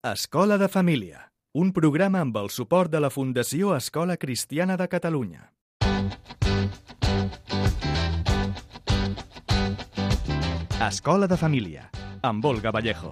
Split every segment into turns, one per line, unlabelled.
Escola de Família, un programa amb el suport de la Fundació Escola Cristiana de Catalunya. Escola de Família, amb Olga Vallejo.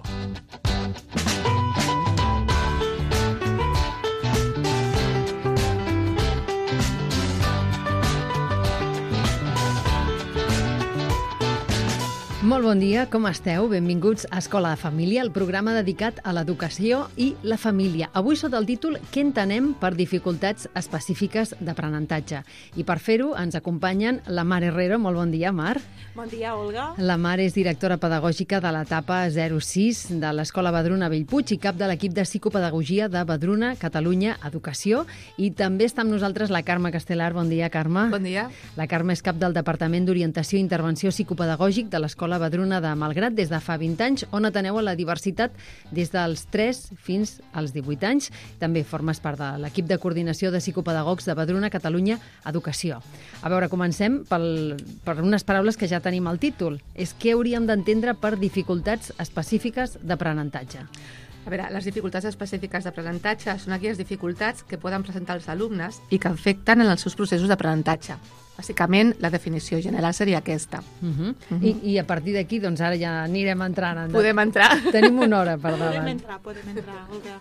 Molt bon dia, com esteu? Benvinguts a Escola de Família, el programa dedicat a l'educació i la família. Avui sota el títol Què entenem per dificultats específiques d'aprenentatge? I per fer-ho ens acompanyen la Mar Herrero. Molt bon dia, Mar.
Bon dia, Olga.
La Mar és directora pedagògica de l'etapa 06 de l'Escola Vedruna Bellpuig i cap de l'equip de psicopedagogia de Vedruna Catalunya Educació. I també està amb nosaltres la Carme Castelar. Bon dia, Carme.
Bon dia.
La Carme és cap del Departament d'Orientació i Intervenció Psicopedagògic de l'Escola Vedruna de Malgrat des de fa 20 anys, on ateneu a la diversitat des dels 3 fins als 18 anys. També formes part de l'equip de coordinació de psicopedagogs de Vedruna Catalunya Educació. A veure, comencem per unes paraules que ja tenim al títol. És què hauríem d'entendre per dificultats específiques d'aprenentatge.
A veure, les dificultats específiques d'aprenentatge són aquelles dificultats que poden presentar els alumnes i que afecten en els seus processos d'aprenentatge. Bàsicament, la definició general seria aquesta.
I a partir d'aquí, doncs ara ja anirem entrant.
Podem entrar.
Tenim una hora per davant.
Podem entrar, Olga.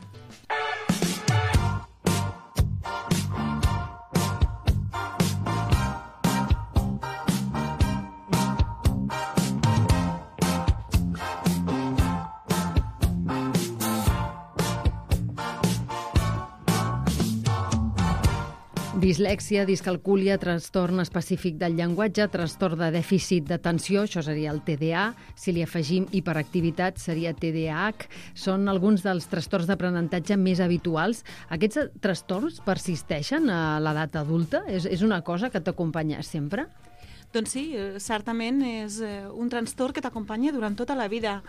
Dislèxia, discalcúlia, trastorn específic del llenguatge, trastorn de dèficit d'atenció, això seria el TDA. Si li afegim hiperactivitat, seria TDAH. Són alguns dels trastorns d'aprenentatge més habituals. Aquests trastorns persisteixen a l'edat adulta? És una cosa que t'acompanya sempre?
Doncs sí, certament és un trastorn que t'acompanya durant tota la vida.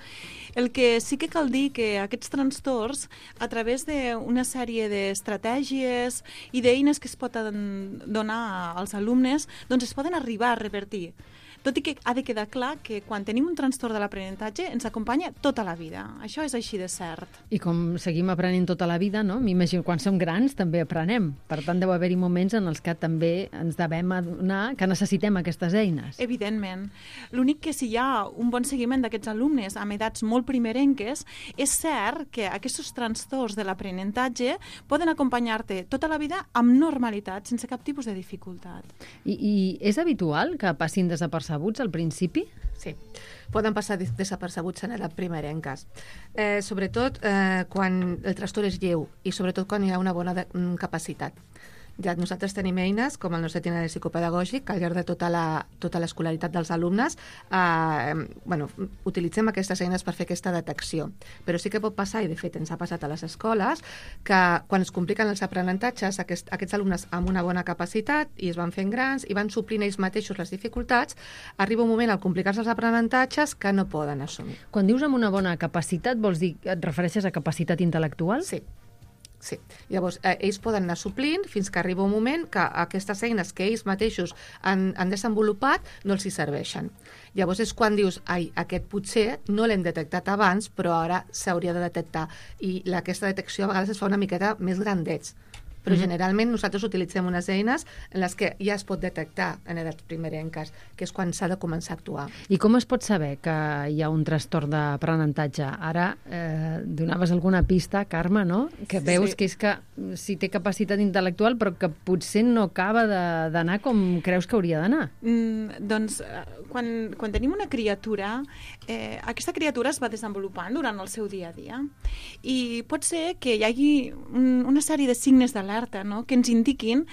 El que sí que cal dir que aquests trastorns, a través d'una sèrie d'estratègies i d'eines que es poden donar als alumnes, doncs es poden arribar a revertir. Tot i que ha de quedar clar que quan tenim un trastorn de l'aprenentatge ens acompanya tota la vida. Això és així de cert.
I com seguim aprenent tota la vida, no? M'imagino, quan som grans també aprenem. Per tant, deu haver-hi moments en els que també ens devem adonar que necessitem aquestes eines.
Evidentment. L'únic que si hi ha un bon seguiment d'aquests alumnes amb edats molt primerenques, és cert que aquests trastorns de l'aprenentatge poden acompanyar-te tota la vida amb normalitat, sense cap tipus de dificultat.
I és habitual que passin desapercebuts al principi?
Sí, poden passar desapercebuts en edat primerenques. Sobretot quan el trastorn és lleu i sobretot quan hi ha una bona capacitat. Ja nosaltres tenim eines, com el nostre itinerari psicopedagògic, que al llarg de tota l'escolaritat dels alumnes utilitzem aquestes eines per fer aquesta detecció. Però sí que pot passar, i de fet ens ha passat a les escoles, que quan es compliquen els aprenentatges, aquests alumnes amb una bona capacitat i es van fent grans i van suplint ells mateixos les dificultats, arriba un moment al complicar-se els aprenentatges que no poden assumir.
Quan dius amb una bona capacitat, vols dir, et refereixes a capacitat intel·lectual?
Sí. Llavors, ells poden anar suplint fins que arriba un moment que aquestes eines que ells mateixos han desenvolupat no els hi serveixen. Llavors és quan dius, aquest potser no l'hem detectat abans, però ara s'hauria de detectar. I aquesta detecció a vegades es fa una miqueta més grandets. Però generalment nosaltres utilitzem unes eines en les que ja es pot detectar en edats primerenques, que és quan s'ha de començar a actuar.
I com es pot saber que hi ha un trastorn d'aprenentatge? Ara donaves alguna pista, Carme, no? Que veus que és que si té capacitat intel·lectual però que potser no acaba d'anar com creus que hauria d'anar.
Doncs quan tenim una criatura, aquesta criatura es va desenvolupant durant el seu dia a dia i pot ser que hi hagi una sèrie de signes d'alerta, no? Que ens indiquin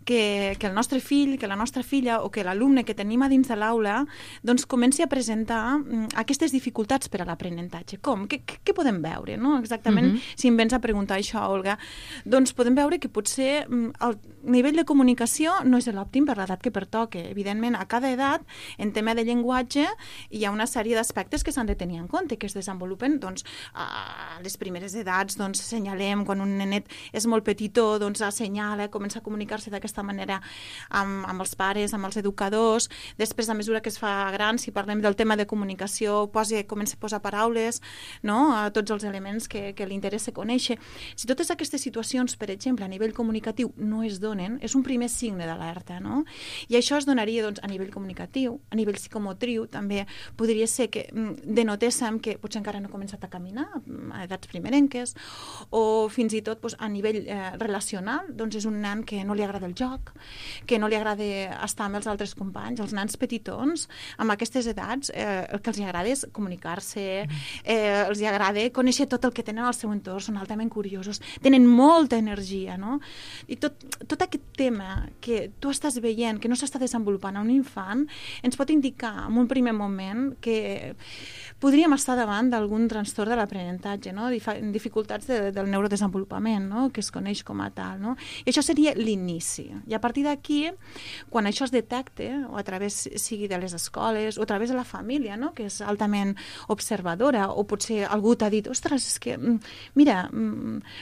que el nostre fill, que la nostra filla o que l'alumne que tenim a dins de l'aula doncs comenci a presentar aquestes dificultats per a l'aprenentatge. Com? Què podem veure? No? Exactament, si em vens a preguntar això, Olga, doncs podem veure que potser el nivell de comunicació no és l'òptim per l'edat que pertoca. Evidentment, a cada edat, en tema de llenguatge, hi ha una sèrie d'aspectes que s'han de tenir en compte, que es desenvolupen doncs, a les primeres edats, doncs, assenyalem quan un nenet és molt petitó, doncs, assenyala, comença a comunicar-se d'aquesta manera amb els pares, amb els educadors. Després, a mesura que es fa gran, si parlem del tema de comunicació, comença a posar paraules, no?, a tots els elements que li interessa conèixer. Si totes aquestes situacions, per exemple, a nivell comunicatiu no es donen, és un primer signe d'alerta, no? I això es donaria, doncs, a nivell comunicatiu, a nivell psicomotriu, també podria ser que denotéssim que potser encara no ha començat a caminar a edats primerenques, o fins i tot a nivell relacional, doncs és un nen que no li agrada el joc, que no li agrada estar amb els altres companys. Els nens petitons, amb aquestes edats, el que els agrada és comunicar-se, els agrada conèixer tot el que tenen al seu entorn, són altament curiosos, tenen molta energia, no? I tot aquest tema que tu estàs veient, que no s'està desenvolupant a un infant, ens pot indicar en un primer moment que podríem estar davant d'algun trastorn de l'aprenentatge, no? Dificultats del neurodesenvolupament, no?, que es coneix com a tal, no? I això seria l'inici. I a partir d'aquí, quan això es detecta, o a través sigui de les escoles, o a través de la família, no?, que és altament observadora, o potser algú t'ha dit, ostres, és que, mira,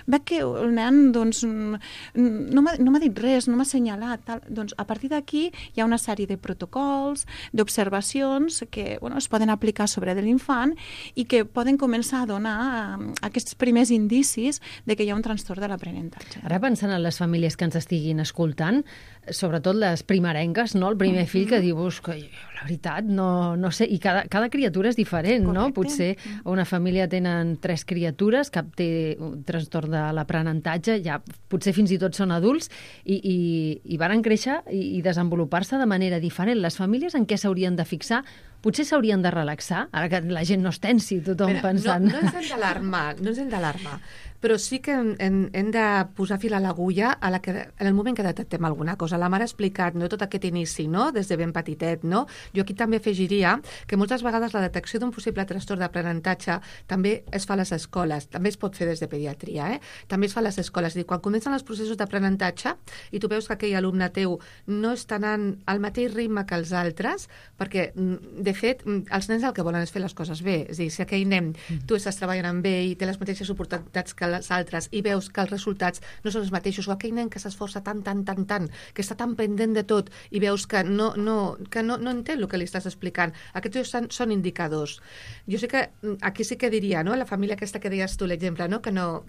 veig que el nen, doncs, no m'ha dit res, no m'ha assenyalat, tal. Doncs a partir d'aquí hi ha una sèrie de protocols, d'observacions que, bueno, es poden aplicar sobre de l'infant i que poden començar a donar aquests primers indicis de que hi ha un trastorn de l'aprenentatge.
Ara pensant en les famílies que ens estiguin escoltant, sobretot les primerenques, no? El primer fill que dius que la veritat no sé, i cada criatura és diferent, no? Potser una família tenen 3 criatures, cap té un trastorn de l'aprenentatge, ja potser fins i tot són adults i van créixer i desenvolupar-se de manera diferent. Les famílies en què s'haurien de fixar? Potser s'haurien de relaxar, ara que la gent no es tensi, tothom pensant...
No ens hem d'alarmar, però sí que hem de posar fil a l'agulla en el moment que detectem alguna cosa. La mare ha explicat, no?, tot aquest inici, no?, des de ben petitet, no? Jo aquí també afegiria que moltes vegades la detecció d'un possible trastorn d'aprenentatge també es fa a les escoles, també es pot fer des de pediatria, també es fa a les escoles. És a dir, quan comencen els processos d'aprenentatge i tu veus que aquell alumne teu no està anant al mateix ritme que els altres, perquè, de fet, els nens el que volen és fer les coses bé. És a dir, si aquell nen tu estàs treballant amb ell i té les mateixes oportunitats que les altres i veus que els resultats no són els mateixos, o aquell nen que s'esforça tant, que està tan pendent de tot i veus que no entén el que li estàs explicant, aquests són indicadors. Jo sé que aquí sí que diria, no?, la família aquesta que deies tu, l'exemple, no?, que no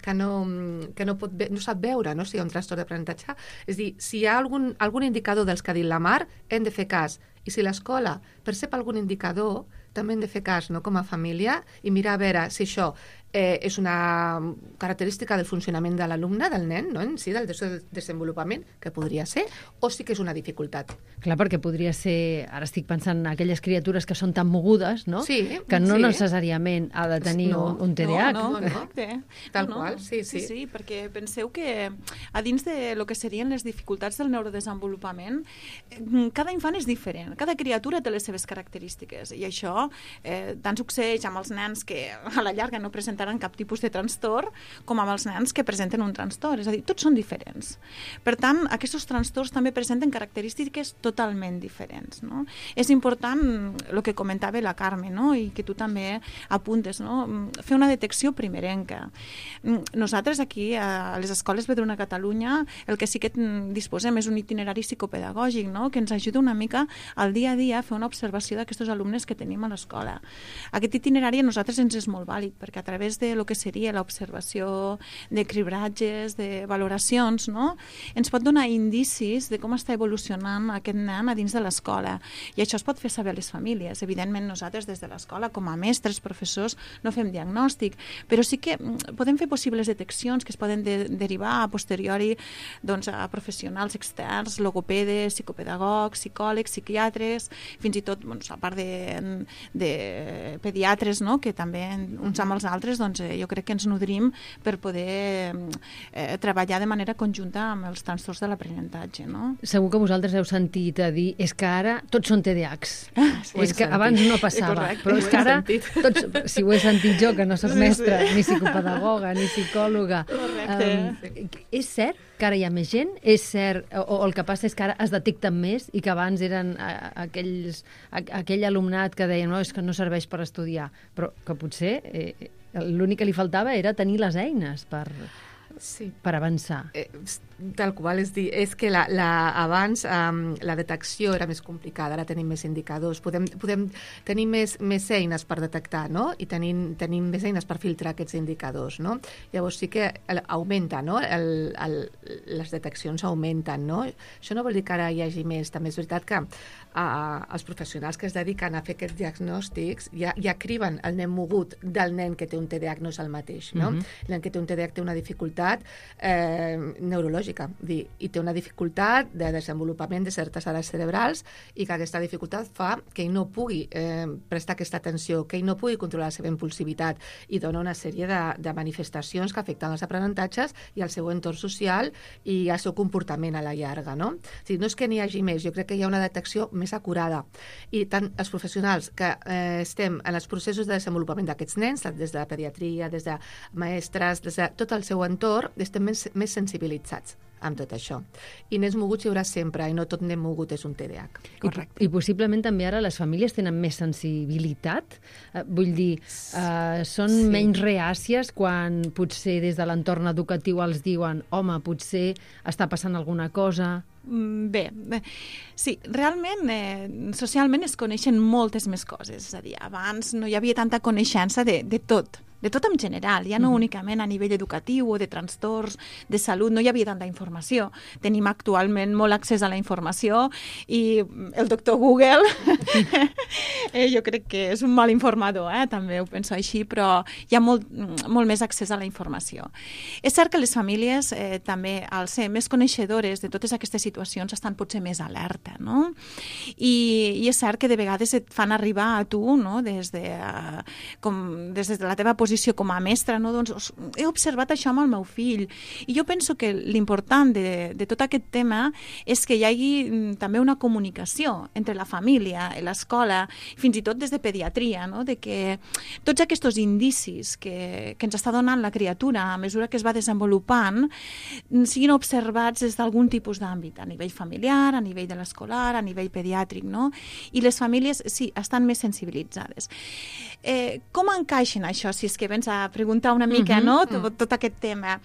sap veure, no?, si hi ha un trastorn d'aprenentatge. És a dir, si hi ha algun indicador dels que ha dit la Mar, hem de fer cas. I si l'escola percep algun indicador, també hem de fer cas, no?, com a família, i mirar a veure si això és una característica del funcionament de l'alumne, del nen, no?, en si, del desenvolupament, que podria ser, o sí que és una dificultat.
Clar, perquè podria ser, ara estic pensant en aquelles criatures que són tan mogudes, no?, que no necessàriament ha de tenir un TDAH.
No.
Tal qual, sí.
Sí, perquè penseu que a dins de lo que serien les dificultats del neurodesenvolupament, cada infant és diferent, cada criatura té les seves característiques, i això tant succeeix amb els nens que a la llarga no presentaran cap tipus de trastorn, com amb els nens que presenten un trastorn. És a dir, tots són diferents. Per tant, aquests trastorns també presenten característiques totalment diferents, no? És important el que comentava la Carme, no?, i que tu també apuntes, no?, fer una detecció primerenca. Nosaltres aquí, a les escoles Vedruna Catalunya, el que sí que disposem és un itinerari psicopedagògic, no?, que ens ajuda una mica al dia a dia a fer una observació d'aquests alumnes que tenim a l'escola. Aquest itinerari a nosaltres ens és molt vàlid, perquè a través de lo que seria l'observació de cribratges, de valoracions, no?, ens pot donar indicis de com està evolucionant aquest nen a dins de l'escola. I això es pot fer saber a les famílies. Evidentment, nosaltres des de l'escola, com a mestres, professors, no fem diagnòstic, però sí que podem fer possibles deteccions que es poden derivar a posteriori, doncs, a professionals externs, logopedes, psicopedagogs, psicòlegs, psiquiatres, fins i tot, doncs, a part de pediatres, no?, que també uns amb els altres, doncs, jo crec que ens nodrim per poder treballar de manera conjunta amb els trastorns de l'aprenentatge, no?
Segur que vosaltres heu sentit a dir és que ara tots són TDAHs. És que abans no passava. Però és que ara, si ho he sentit jo, que no soc mestra, ni psicopedagoga, ni psicòloga. És cert que ara hi ha més gent? És cert, o el que passa és que ara es detecten més i que abans eren aquell alumnat que deia no, és que no serveix per estudiar, però que potser l'únic que li faltava era tenir les eines per...
Sí.
per avançar?
Tal qual, és que abans la detecció era més complicada, ara tenim més indicadors, podem tenir més eines per detectar, no? I tenim més eines per filtrar aquests indicadors, no? Llavors sí que augmenta, no? Les deteccions augmenten, no? Això no vol dir que ara hi hagi més, també és veritat que els professionals que es dediquen a fer aquests diagnòstics ja criben el nen mogut del nen que té un TDAH, no és el mateix, no? El nen que té un TDAH té una dificultat neurològica, i té una dificultat de desenvolupament de certes àrees cerebrals i que aquesta dificultat fa que ell no pugui prestar aquesta atenció, que ell no pugui controlar la seva impulsivitat i dona una sèrie de manifestacions que afecten els aprenentatges i el seu entorn social i el seu comportament a la llarga, no? O sigui, no és que n'hi hagi més, jo crec que hi ha una detecció més acurada i tant els professionals que estem en els processos de desenvolupament d'aquests nens, des de la pediatria, des de mestres, des de tot el seu entorn, estem més sensibilitzats amb tot això. I nens moguts hi haurà sempre, i no tot nen mogut és un TDAH.
Correcte.
I possiblement també ara les famílies tenen més sensibilitat? Vull dir, són menys reàcies quan potser des de l'entorn educatiu els diuen home, potser està passant alguna cosa...
Bé, sí, realment socialment es coneixen moltes més coses, és a dir, abans no hi havia tanta coneixença de tot en general, ja no únicament a nivell educatiu o de trastorns de salut, no hi havia tanta informació. Tenim actualment molt accés a la informació i el doctor Google jo crec que és un mal informador, també ho penso així, però hi ha molt més accés a la informació. És cert que les famílies també, al ser més coneixedores de totes aquestes situacions, estan potser més alerta, no? I és cert que de vegades et fan arribar a tu, no? des de la teva posició com a mestra, no? Doncs he observat això amb el meu fill. I jo penso que l'important de tot aquest tema és que hi hagi també una comunicació entre la família, l'escola, fins i tot des de pediatria, no? De que tots aquests indicis que ens està donant la criatura a mesura que es va desenvolupant siguin observats des d'algun tipus d'àmbit, a nivell familiar, a nivell de l'escolar, a nivell pediàtric, no? I les famílies, sí, estan més sensibilitzades. Com encaixen això, si és que vens a preguntar una mica, no? Tot aquest tema.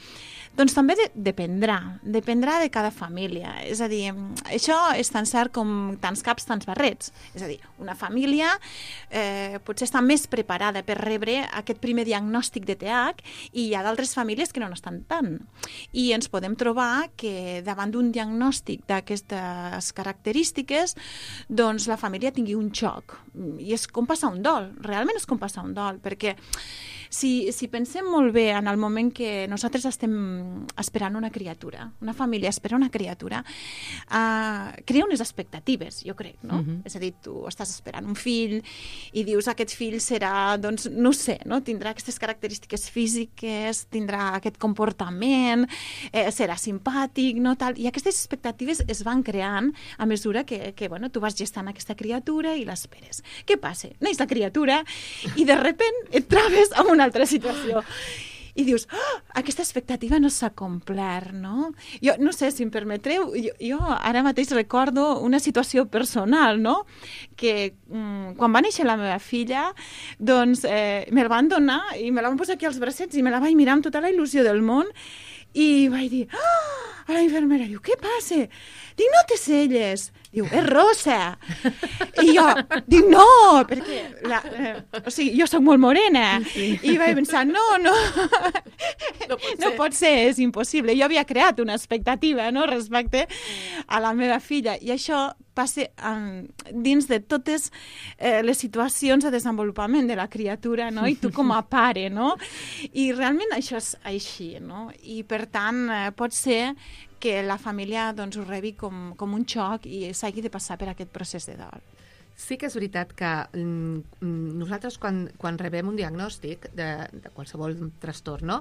Doncs també dependrà de cada família. És a dir, això és tan cert com tants caps, tants barrets. És a dir, una família potser està més preparada per rebre aquest primer diagnòstic de TDAH i hi ha d'altres famílies que no n'estan tant. I ens podem trobar que davant d'un diagnòstic d'aquestes característiques, doncs la família tingui un xoc. I és com passar un dol, realment és com passar un dol, perquè si pensem molt bé en el moment que nosaltres estem esperant una criatura, una família espera una criatura, crea unes expectatives, jo crec, no? És a dir, tu estàs esperant un fill i dius aquest fill serà, doncs, no sé, no? Tindrà aquestes característiques físiques, tindrà aquest comportament, serà simpàtic, no? Tal. I aquestes expectatives es van creant a mesura que bueno, tu vas gestant aquesta criatura i l'esperes. Què passa? Neix la criatura i de repent et trobes amb una altra situació. I dius, aquesta expectativa no s'ha complert, no? Jo no sé, si em permetreu, jo ara mateix recordo una situació personal, no? Que quan va néixer la meva filla, doncs me la van donar i me la van posar aquí als bracets i me la vaig mirar amb tota la il·lusió del món i vaig dir, a la infermera, diu, què passa? Dic, no té celles. Diu, és rosa. I jo dic, no, perquè jo soc molt morena. I vaig pensar, no pot ser, és impossible. Jo havia creat una expectativa, no?, respecte a la meva filla. I això passa dins de totes les situacions de desenvolupament de la criatura, no?, i tu com a pare, no? I realment això és així, no? I per tant pot ser que la família doncs, ho rebi com un xoc i s'hagi de passar per aquest procés de dol.
Sí que és veritat que nosaltres quan rebem un diagnòstic de qualsevol trastorn, no?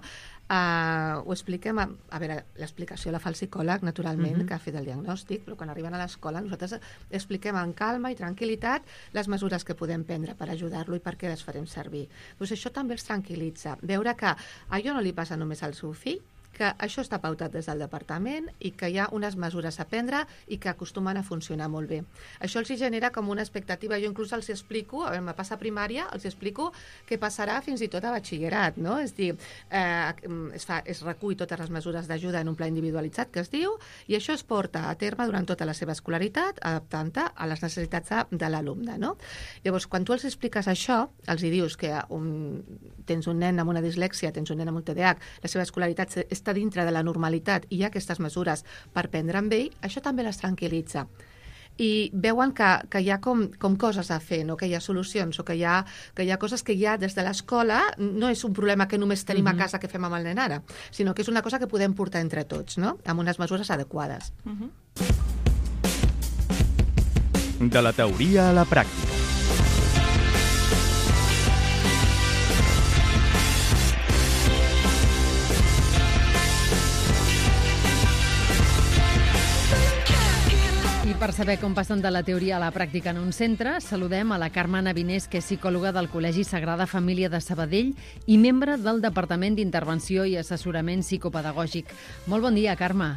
Ho expliquem, a veure, l'explicació la fa el psicòleg, naturalment, que ha fet el diagnòstic, però quan arriben a l'escola nosaltres expliquem amb calma i tranquil·litat les mesures que podem prendre per ajudar-lo i per què les farem servir. Doncs això també els tranquil·litza. Veure que a allò no li passa només al seu fill, que això està pautat des del departament i que hi ha unes mesures a prendre i que acostumen a funcionar molt bé. Això els genera com una expectativa. Jo inclús els explico, a veure, me passa a primària, els explico què passarà fins i tot a batxillerat, no? És dir, es recull totes les mesures d'ajuda en un pla individualitzat que es diu, i això es porta a terme durant tota la seva escolaritat, adaptant-te a les necessitats de l'alumne, no? Llavors, quan tu els expliques això, els hi dius que tens un nen amb una dislèxia, tens un nen amb un TDAH, la seva escolaritat està dintre de la normalitat i hi ha aquestes mesures per prendre amb ell, això també les tranquil·litza. I veuen que hi ha com coses a fer, no? Que hi ha solucions o que hi ha coses que ja des de l'escola no és un problema que només tenim a casa que fem amb el nen ara, sinó que és una cosa que podem portar entre tots, no? Amb unes mesures adequades.
De la teoria a la pràctica.
I per saber com passen de la teoria a la pràctica en un centre, saludem a la Carme Navinés, que és psicòloga del Col·legi Sagrada Família de Sabadell i membre del Departament d'Intervenció i Assessorament Psicopedagògic. Molt bon dia, Carme.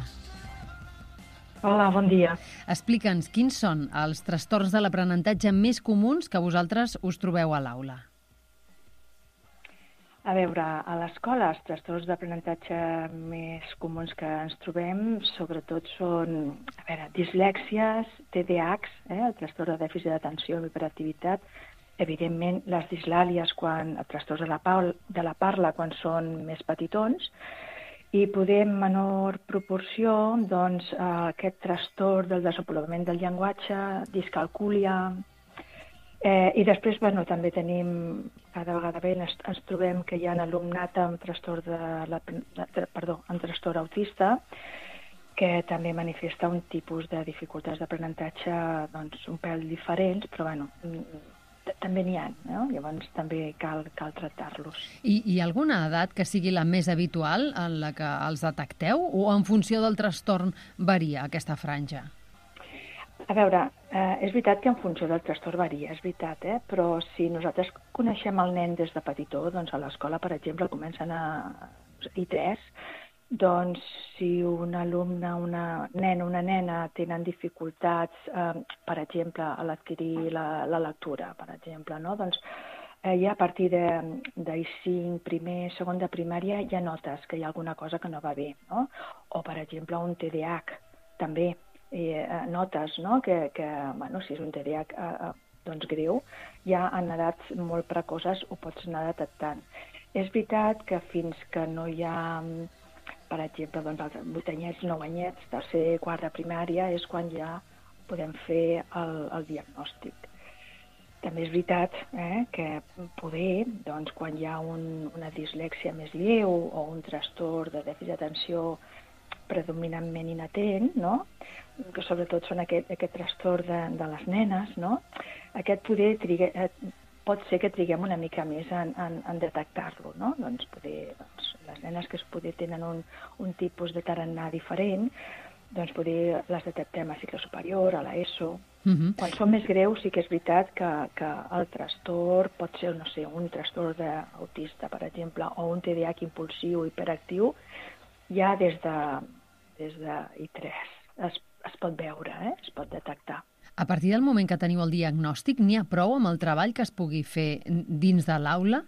Hola, bon dia.
Explica'ns quins són els trastorns de l'aprenentatge més comuns que vosaltres us trobeu a l'aula.
A veure, a l'escola els trastorns d'aprenentatge més comuns que ens trobem sobretot són, dislèxies, TDAHs, el trastorn de dèficit d'atenció i hiperactivitat, evidentment les dislàlies, els trastorns de la parla quan són més petitons, i poder en menor proporció doncs, aquest trastorn del desenvolupament del llenguatge, discalcúlia. I després també tenim, cada vegada ens trobem que hi ha alumnat amb trastorn autista, que també manifesta un tipus de dificultats d'aprenentatge un pèl diferents, però també n'hi ha, no? Llavors també cal tractar-los.
I hi ha alguna edat que sigui la més habitual en la que els detecteu o en funció del trastorn varia aquesta franja?
A veure, és veritat que en funció del trastorn varia, és veritat, però si nosaltres coneixem el nen des de petitó, doncs a l'escola, per exemple, comencen a I3, doncs si un alumne, una nena, una nena tenen dificultats, per exemple, a l'adquirir la lectura, per exemple, no? Doncs ja a partir d'I5, primer, segon de primària, ja notes que hi ha alguna cosa que no va bé, no? O, per exemple, un TDAH, també. Notes, no? que si és un TDAH greu, ja en edats molt precoses ho pots anar detectant. És veritat que fins que no hi ha, per exemple, els 8 anyets, 9 anyets, tercer, quart de primària, és quan ja podem fer el diagnòstic. També és veritat que poder, quan hi ha una dislèxia més lleu o un trastorn de dèficit d'atenció predominantment inatent, no? Que sobretot són aquest trastorn de les nenes, no? Aquest poder pot ser que triguem una mica més en detectar-lo, no? Doncs les nenes que tenen un tipus de tarannà diferent, doncs poder les detectem a cicle superior, a l'ESO. Quan són més greus sí que és veritat que el trastorn pot ser, no sé, un trastorn autista, per exemple, o un TDAH impulsiu, hiperactiu, ja des de I3 es pot veure, es pot detectar.
A partir del moment que teniu el diagnòstic, n'hi ha prou amb el treball que es pugui fer dins de l'aula?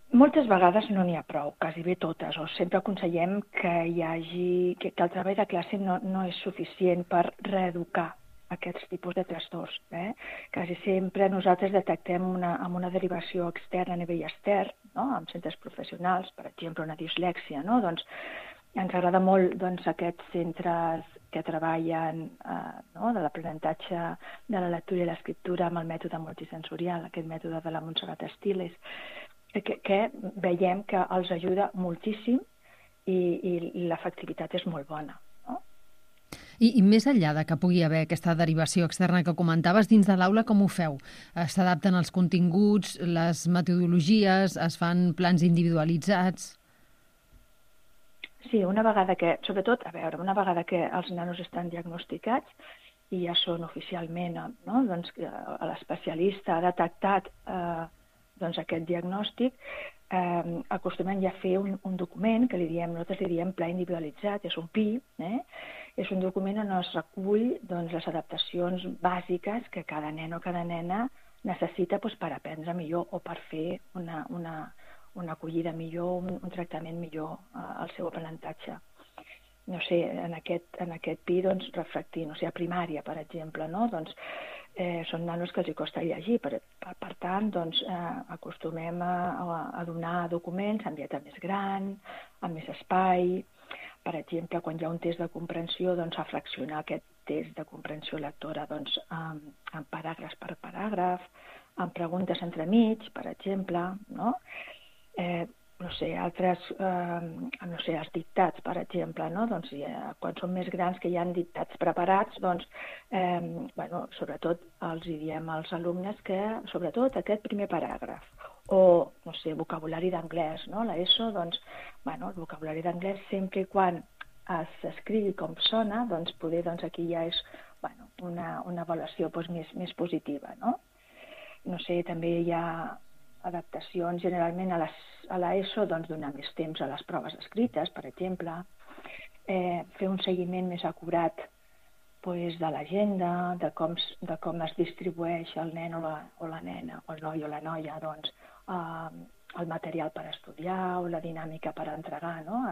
Moltes vegades no n'hi ha prou, quasi bé totes, o sempre aconsellem que el treball de classe no és suficient per reeducar aquests tipus de trastorns. Quasi sempre nosaltres detectem amb una derivació externa a nivell extern, no? En centres professionals, per exemple, una dislèxia, no? Doncs ens agrada molt aquests centres que treballen de l'aprenentatge de la lectura i l'escriptura amb el mètode multisensorial, aquest mètode de la Montserrat Estiles, que veiem que els ajuda moltíssim i l'efectivitat és molt bona.
I més enllà de que pugui haver aquesta derivació externa que comentaves, dins de l'aula com ho feu? S'adapten els continguts, les metodologies, es fan plans individualitzats?
Sí, una vegada que els nanos estan diagnosticats i ja són oficialment, no? Doncs l'especialista ha detectat aquest diagnòstic, acostumem ja a fer un document que nosaltres li diem pla individualitzat, és un PI, és un document on es recull doncs, les adaptacions bàsiques que cada nen o cada nena necessita doncs, per aprendre millor o per fer una acollida millor, un tractament millor al seu aprenentatge. No sé, en aquest PI, doncs, reflectir, no sé, a primària, per exemple, no? Doncs són nanos que els costa llegir, per tant, doncs, acostumem a donar documents en lletra més gran, amb més espai. Per exemple, quan hi ha un test de comprensió, doncs, a fraccionar aquest test de comprensió lectora doncs, en paràgrafs per paràgraf, en preguntes entremig, per exemple, no? No sé, els dictats, per exemple, no? Doncs, quan són més grans que hi ha dictats preparats, doncs, sobretot els diem als alumnes que, sobretot, aquest primer paràgraf, o, no sé, vocabulari d'anglès, no? L'ESO, doncs, el vocabulari d'anglès, sempre i quan s'escrigui com sona, doncs, poder, doncs, aquí ja és, una avaluació més positiva, no? No sé, també hi ha adaptacions generalment a l'ESO, doncs donar més temps a les proves escrites, per exemple, fer un seguiment més acurat de l'agenda, de com es distribueix el nen o la nena, o el noi o la noia, doncs, el material per estudiar o la dinàmica per entregar, no?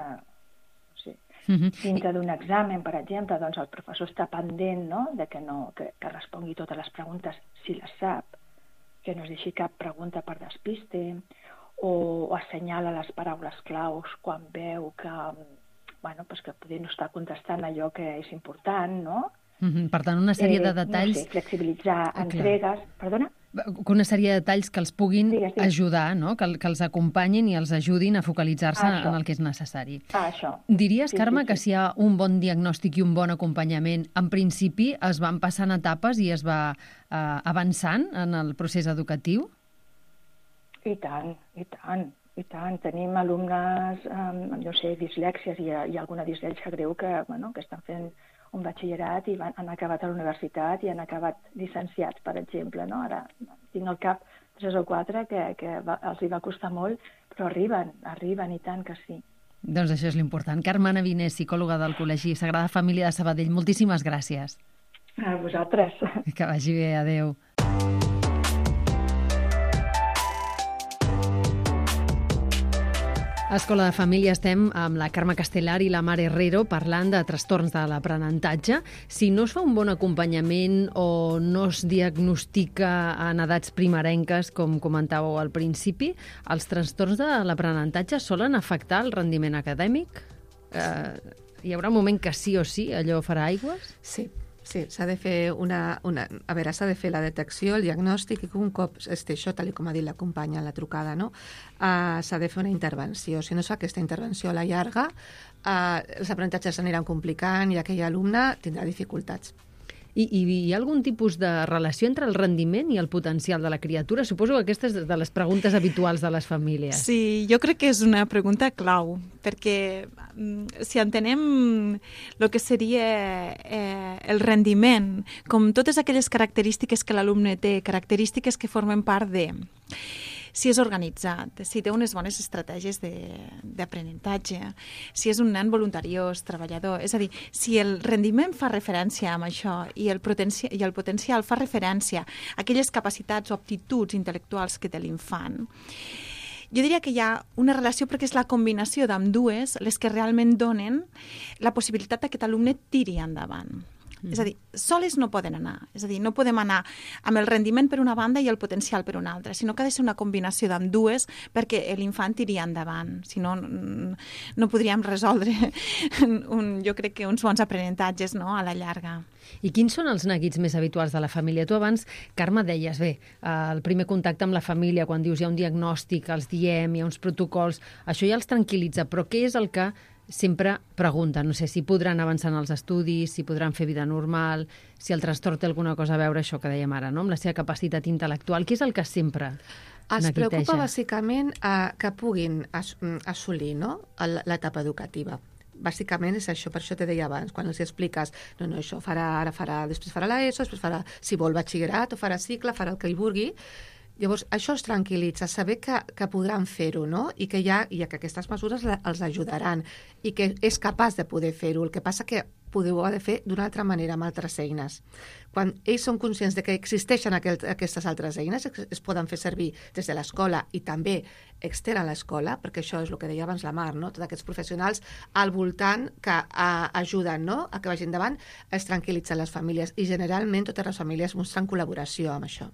Dintre d'un examen, per exemple, doncs el professor està pendent, no? Que respongui totes les preguntes si les sap, que no es deixi cap pregunta per despiste, o assenyala les paraules claus quan veu que poder no està contestant allò que és important, no?
Per tant, una sèrie de detalls...
No sé, flexibilitzar entregues... Perdona?
Una sèrie de detalls que els puguin ajudar, no? Que els acompanyin i els ajudin a focalitzar-se en el que és necessari.
Això.
Diries, Carme, que si hi ha un bon diagnòstic i un bon acompanyament, en principi es van passant etapes i es va avançant en el procés educatiu?
I tant, i tant. I tant, tenim alumnes, dislèxies i alguna dislèxia greu que estan fent un batxillerat i han acabat a la universitat i han acabat llicenciats, per exemple, no? Ara tinc al cap 3 o 4 que els hi va costar molt, però arriben i tant que sí.
Doncs això és l'important. Carme Naviner, psicòloga del Col·legi Sagrada Família de Sabadell, moltíssimes gràcies.
A vosaltres.
Que vagi bé, adeu. A Escola de Família estem amb la Carme Castellar i la Mar Herrero parlant de trastorns de l'aprenentatge. Si no es fa un bon acompanyament o no es diagnostica en edats primerenques, com comentàveu al principi, els trastorns de l'aprenentatge solen afectar el rendiment acadèmic? Hi haurà un moment que sí o sí allò farà aigües?
Sí, s'ha de fer s'ha de fer la detecció, el diagnòstic, i un cop esté això, tal com ha dit la companya en la trucada, no? S'ha de fer una intervenció. Si no es fa aquesta intervenció a la llarga, els aprenentatges s'aniran complicant i aquell alumne tindrà dificultats.
I hi ha algun tipus de relació entre el rendiment i el potencial de la criatura? Suposo que aquesta és de les preguntes habituals de les famílies.
Sí, jo crec que és una pregunta clau, perquè si entenem el que seria el rendiment, com totes aquelles característiques que l'alumne té, característiques que formen part de... Si és organitzat, si té unes bones estratègies d'aprenentatge, si és un nen voluntariós, treballador, és a dir, si el rendiment fa referència amb això i el potencial fa referència a aquelles capacitats o aptituds intel·lectuals que té l'infant, jo diria que hi ha una relació perquè és la combinació d'ambdues les que realment donen la possibilitat que aquest alumne tiri endavant. És a dir, soles no poden anar. És a dir, no podem anar amb el rendiment per una banda i el potencial per una altra, sinó que ha de ser una combinació d'ambdues perquè l'infant tiri endavant. Si no, no podríem resoldre jo crec que uns bons aprenentatges, no?, a la llarga.
I quins són els neguits més habituals de la família? Tu abans, Carme, deies, el primer contacte amb la família, quan dius hi ha un diagnòstic, els diem, hi ha uns protocols, això ja els tranquil·litza, però què és el que sempre pregunten? No sé, si podran avançar en els estudis, si podran fer vida normal, si el trastorn té alguna cosa a veure, això que dèiem ara, no?, amb la seva capacitat intel·lectual. Què és el que sempre
els preocupa bàsicament que puguin assolir, no?, l'etapa educativa. Bàsicament és això, per això te deia abans, quan els expliques, no, això farà, després farà l'ESO, després farà, si vol, batxillerat, o farà cicle, farà el que hi vulgui, Llavors, això els tranquil·litza, saber que podran fer-ho, no? I que que aquestes mesures els ajudaran i que és capaç de poder fer-ho. El que passa que podeu haver de fer d'una altra manera, amb altres eines. Quan ells són conscients de que existeixen aquestes altres eines, es poden fer servir des de l'escola i també extern a l'escola, perquè això és el que deia abans la Mar, no? Tots aquests professionals al voltant que ajuden, no? A que vagin endavant, es tranquil·litzen les famílies i generalment totes les famílies mostren col·laboració amb això.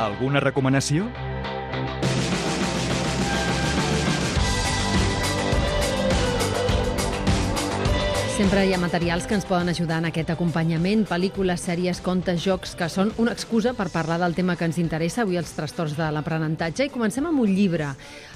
Alguna recomanació?
Sempre hi ha materials que ens poden ajudar en aquest acompanyament, pel·lícules, sèries, contes, jocs, que són una excusa per parlar del tema que ens interessa, avui els trastorns de l'aprenentatge. I comencem amb un llibre.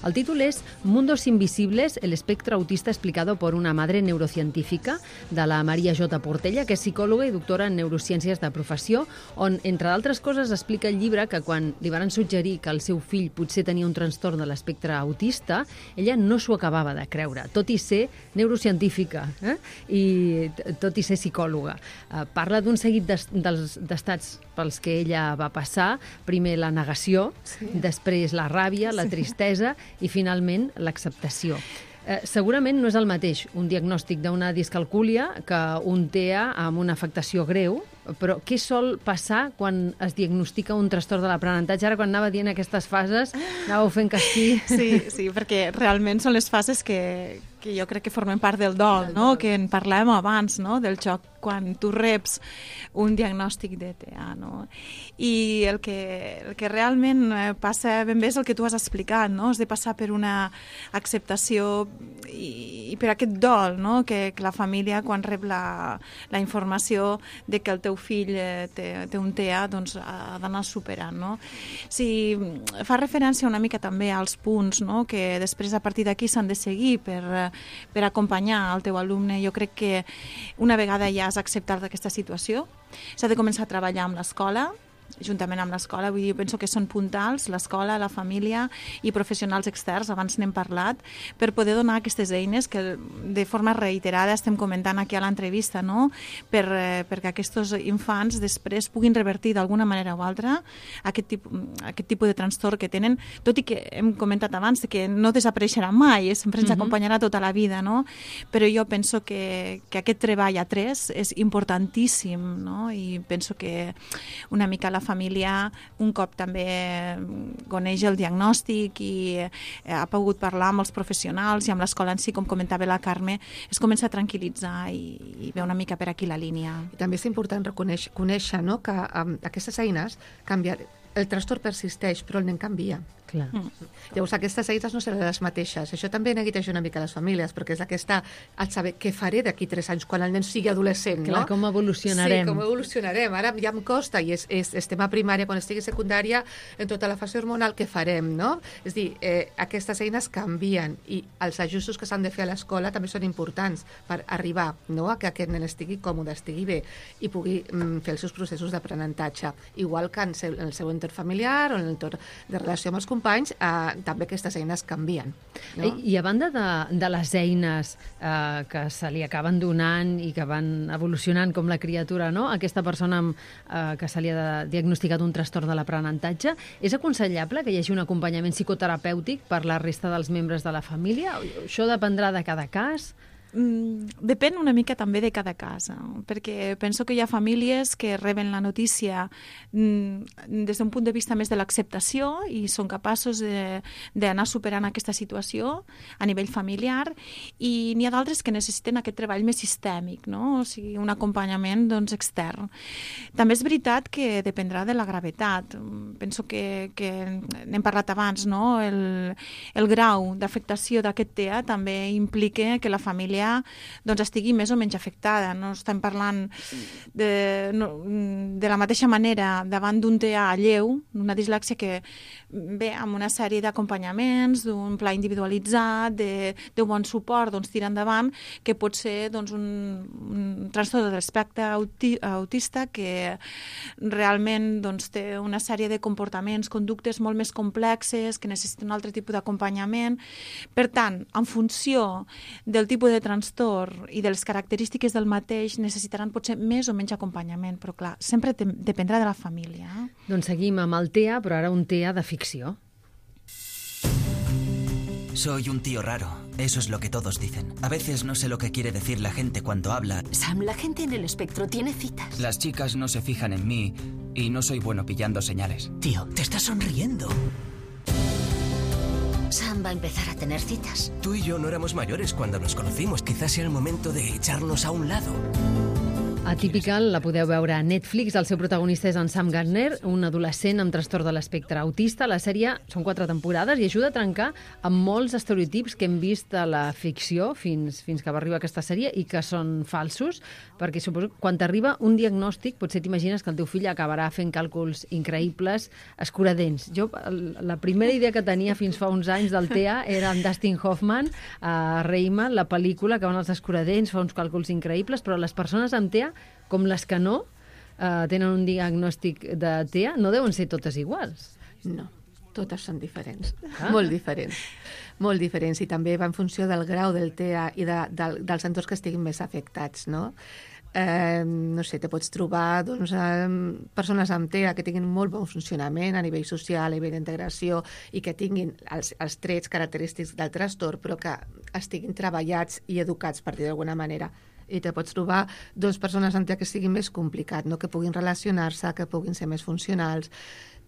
El títol és Mundos invisibles, el espectro autista explicado por una madre neurocientífica, de la Maria J. Portella, que és psicòloga i doctora en neurociències de professió, on, entre d'altres coses, explica el llibre que quan li van suggerir que el seu fill potser tenia un trastorn de l'espectre autista, ella no s'ho acabava de creure, tot i ser neurocientífica, i tot i ser psicòloga. Parla d'un seguit d'estats pels que ella va passar, primer la negació, després la ràbia, la tristesa i finalment l'acceptació. Segurament no és el mateix un diagnòstic d'una discalcúlia que un TEA amb una afectació greu, però què sol passar quan es diagnostica un trastorn de l'aprenentatge? Ara, quan anava dient aquestes fases, anàveu fent que sí.
Sí, perquè realment són les fases que jo crec que formen part del dol, no? Que en parlàvem abans, no? Del xoc quan tu reps un diagnòstic de TEA, no? I el que realment passa ben bé és el que tu has explicat, no? Has de passar per una acceptació i per aquest dol, no? Que la família, quan rep la informació de que el teu fill té un TEA, doncs ha d'anar superant, no? Si fa referència una mica també als punts, no? Que després a partir d'aquí s'han de seguir per acompanyar el teu alumne. Jo crec que una vegada ja has acceptat aquesta situació, s'ha de començar a treballar amb l'escola, juntament amb l'escola, vull dir, penso que són puntals, l'escola, la família i professionals externs, abans n'hem parlat, per poder donar aquestes eines que de forma reiterada estem comentant aquí a l'entrevista, no? Perquè aquests infants després puguin revertir d'alguna manera o altra aquest tipus de trastorn que tenen, tot i que hem comentat abans que no desapareixerà mai, sempre ens acompanyarà tota la vida, no? Però jo penso que aquest treball a tres és importantíssim, no? I penso que una mica la família, un cop també coneix el diagnòstic i ha pogut parlar amb els professionals i amb l'escola en si, com comentava la Carme, es comença a tranquil·litzar i ve una mica per aquí la línia.
I també és important conèixer, no? Que aquestes eines canvien. El trastorn persisteix, però el nen canvia.
Clar.
Llavors, aquestes eines no seran les mateixes. Això també neguiteja una mica les famílies, perquè és aquesta el saber què faré d'aquí 3 anys quan el nen sigui adolescent.
Clar,
no?
com evolucionarem.
Sí, com evolucionarem. Ara ja em costa, i estem a primària, quan estigui a secundària, en tota la fase hormonal, què farem, no? És a dir, aquestes eines canvien i els ajustos que s'han de fer a l'escola també són importants per arribar, no?, a que aquest nen estigui còmode, estigui bé i pugui fer els seus processos d'aprenentatge. Igual que en el seu entorn familiar o en l'entorn de relació amb els companys, també aquestes eines canvien. No?
I a banda de les eines que se li acaben donant i que van evolucionant com la criatura, no? Aquesta persona que se li ha diagnosticat un trastorn de l'aprenentatge, és aconsellable que hi hagi un acompanyament psicoterapèutic per la resta dels membres de la família? Això dependrà de cada cas?
Depèn una mica també de cada cas, perquè penso que hi ha famílies que reben la notícia des d'un punt de vista més de l'acceptació i són capaços d'anar superant aquesta situació a nivell familiar, i n'hi ha d'altres que necessiten aquest treball més sistèmic, no? O sigui, un acompanyament extern. També és veritat que dependrà de la gravetat. Penso que n'hem parlat abans, no? El grau d'afectació d'aquest TEA també implica que la família estigui més o menys afectada. No estem parlant de la mateixa manera davant d'un TEA lleu, una dislèxia que ve amb una sèrie d'acompanyaments, d'un pla individualitzat, d'un bon suport, tira endavant, que pot ser un trastorn de l'espectre autista que realment té una sèrie de comportaments, conductes molt més complexes, que necessiten un altre tipus d'acompanyament. Per tant, en funció del tipus de trastorn trastorn i de les característiques del mateix necessitaran potser més o menys acompanyament, però clar, sempre dependrà de la família.
Doncs seguim amb el TEA, però ara un TEA de ficció.
Soy un tío raro, eso es lo que todos dicen. A veces no sé lo que quiere decir la gente cuando habla.
Sam, la gente en el espectro tiene citas.
Las chicas no se fijan en mí y no soy bueno pillando señales.
Tío, te estás sonriendo.
Sam va a empezar a tener citas.
Tú y yo no éramos mayores cuando nos conocimos. Quizás sea el momento de echarnos a un lado.
Atypical la podeu veure a Netflix. El seu protagonista és en Sam Gardner, un adolescent amb trastorn de l'espectre autista. La sèrie són 4 temporades i ajuda a trencar amb molts estereotips que hem vist a la ficció fins que va arribar aquesta sèrie i que són falsos, perquè suposo que quan t'arriba un diagnòstic potser t'imagines que el teu fill acabarà fent càlculs increïbles, escuradents. Jo, la primera idea que tenia fins fa uns anys del TEA era en Dustin Hoffman a Rayman, la pel·lícula que van als escuradents, fa uns càlculs increïbles, però les persones amb TEA, com les que no tenen un diagnòstic de TEA, no deuen ser totes iguals.
No, totes són diferents, molt diferents. Molt diferents, i també va en funció del grau del TEA i dels entorns que estiguin més afectats, no? No sé, te pots trobar persones amb TEA que tinguin molt bon funcionament a nivell social, a nivell d'integració i que tinguin els trets característics del trastorn, però que estiguin treballats i educats, per dir d'alguna manera. I te pots trobar 2 persones amb TEA que sigui més complicat, no? Que puguin relacionar-se, que puguin ser més funcionals.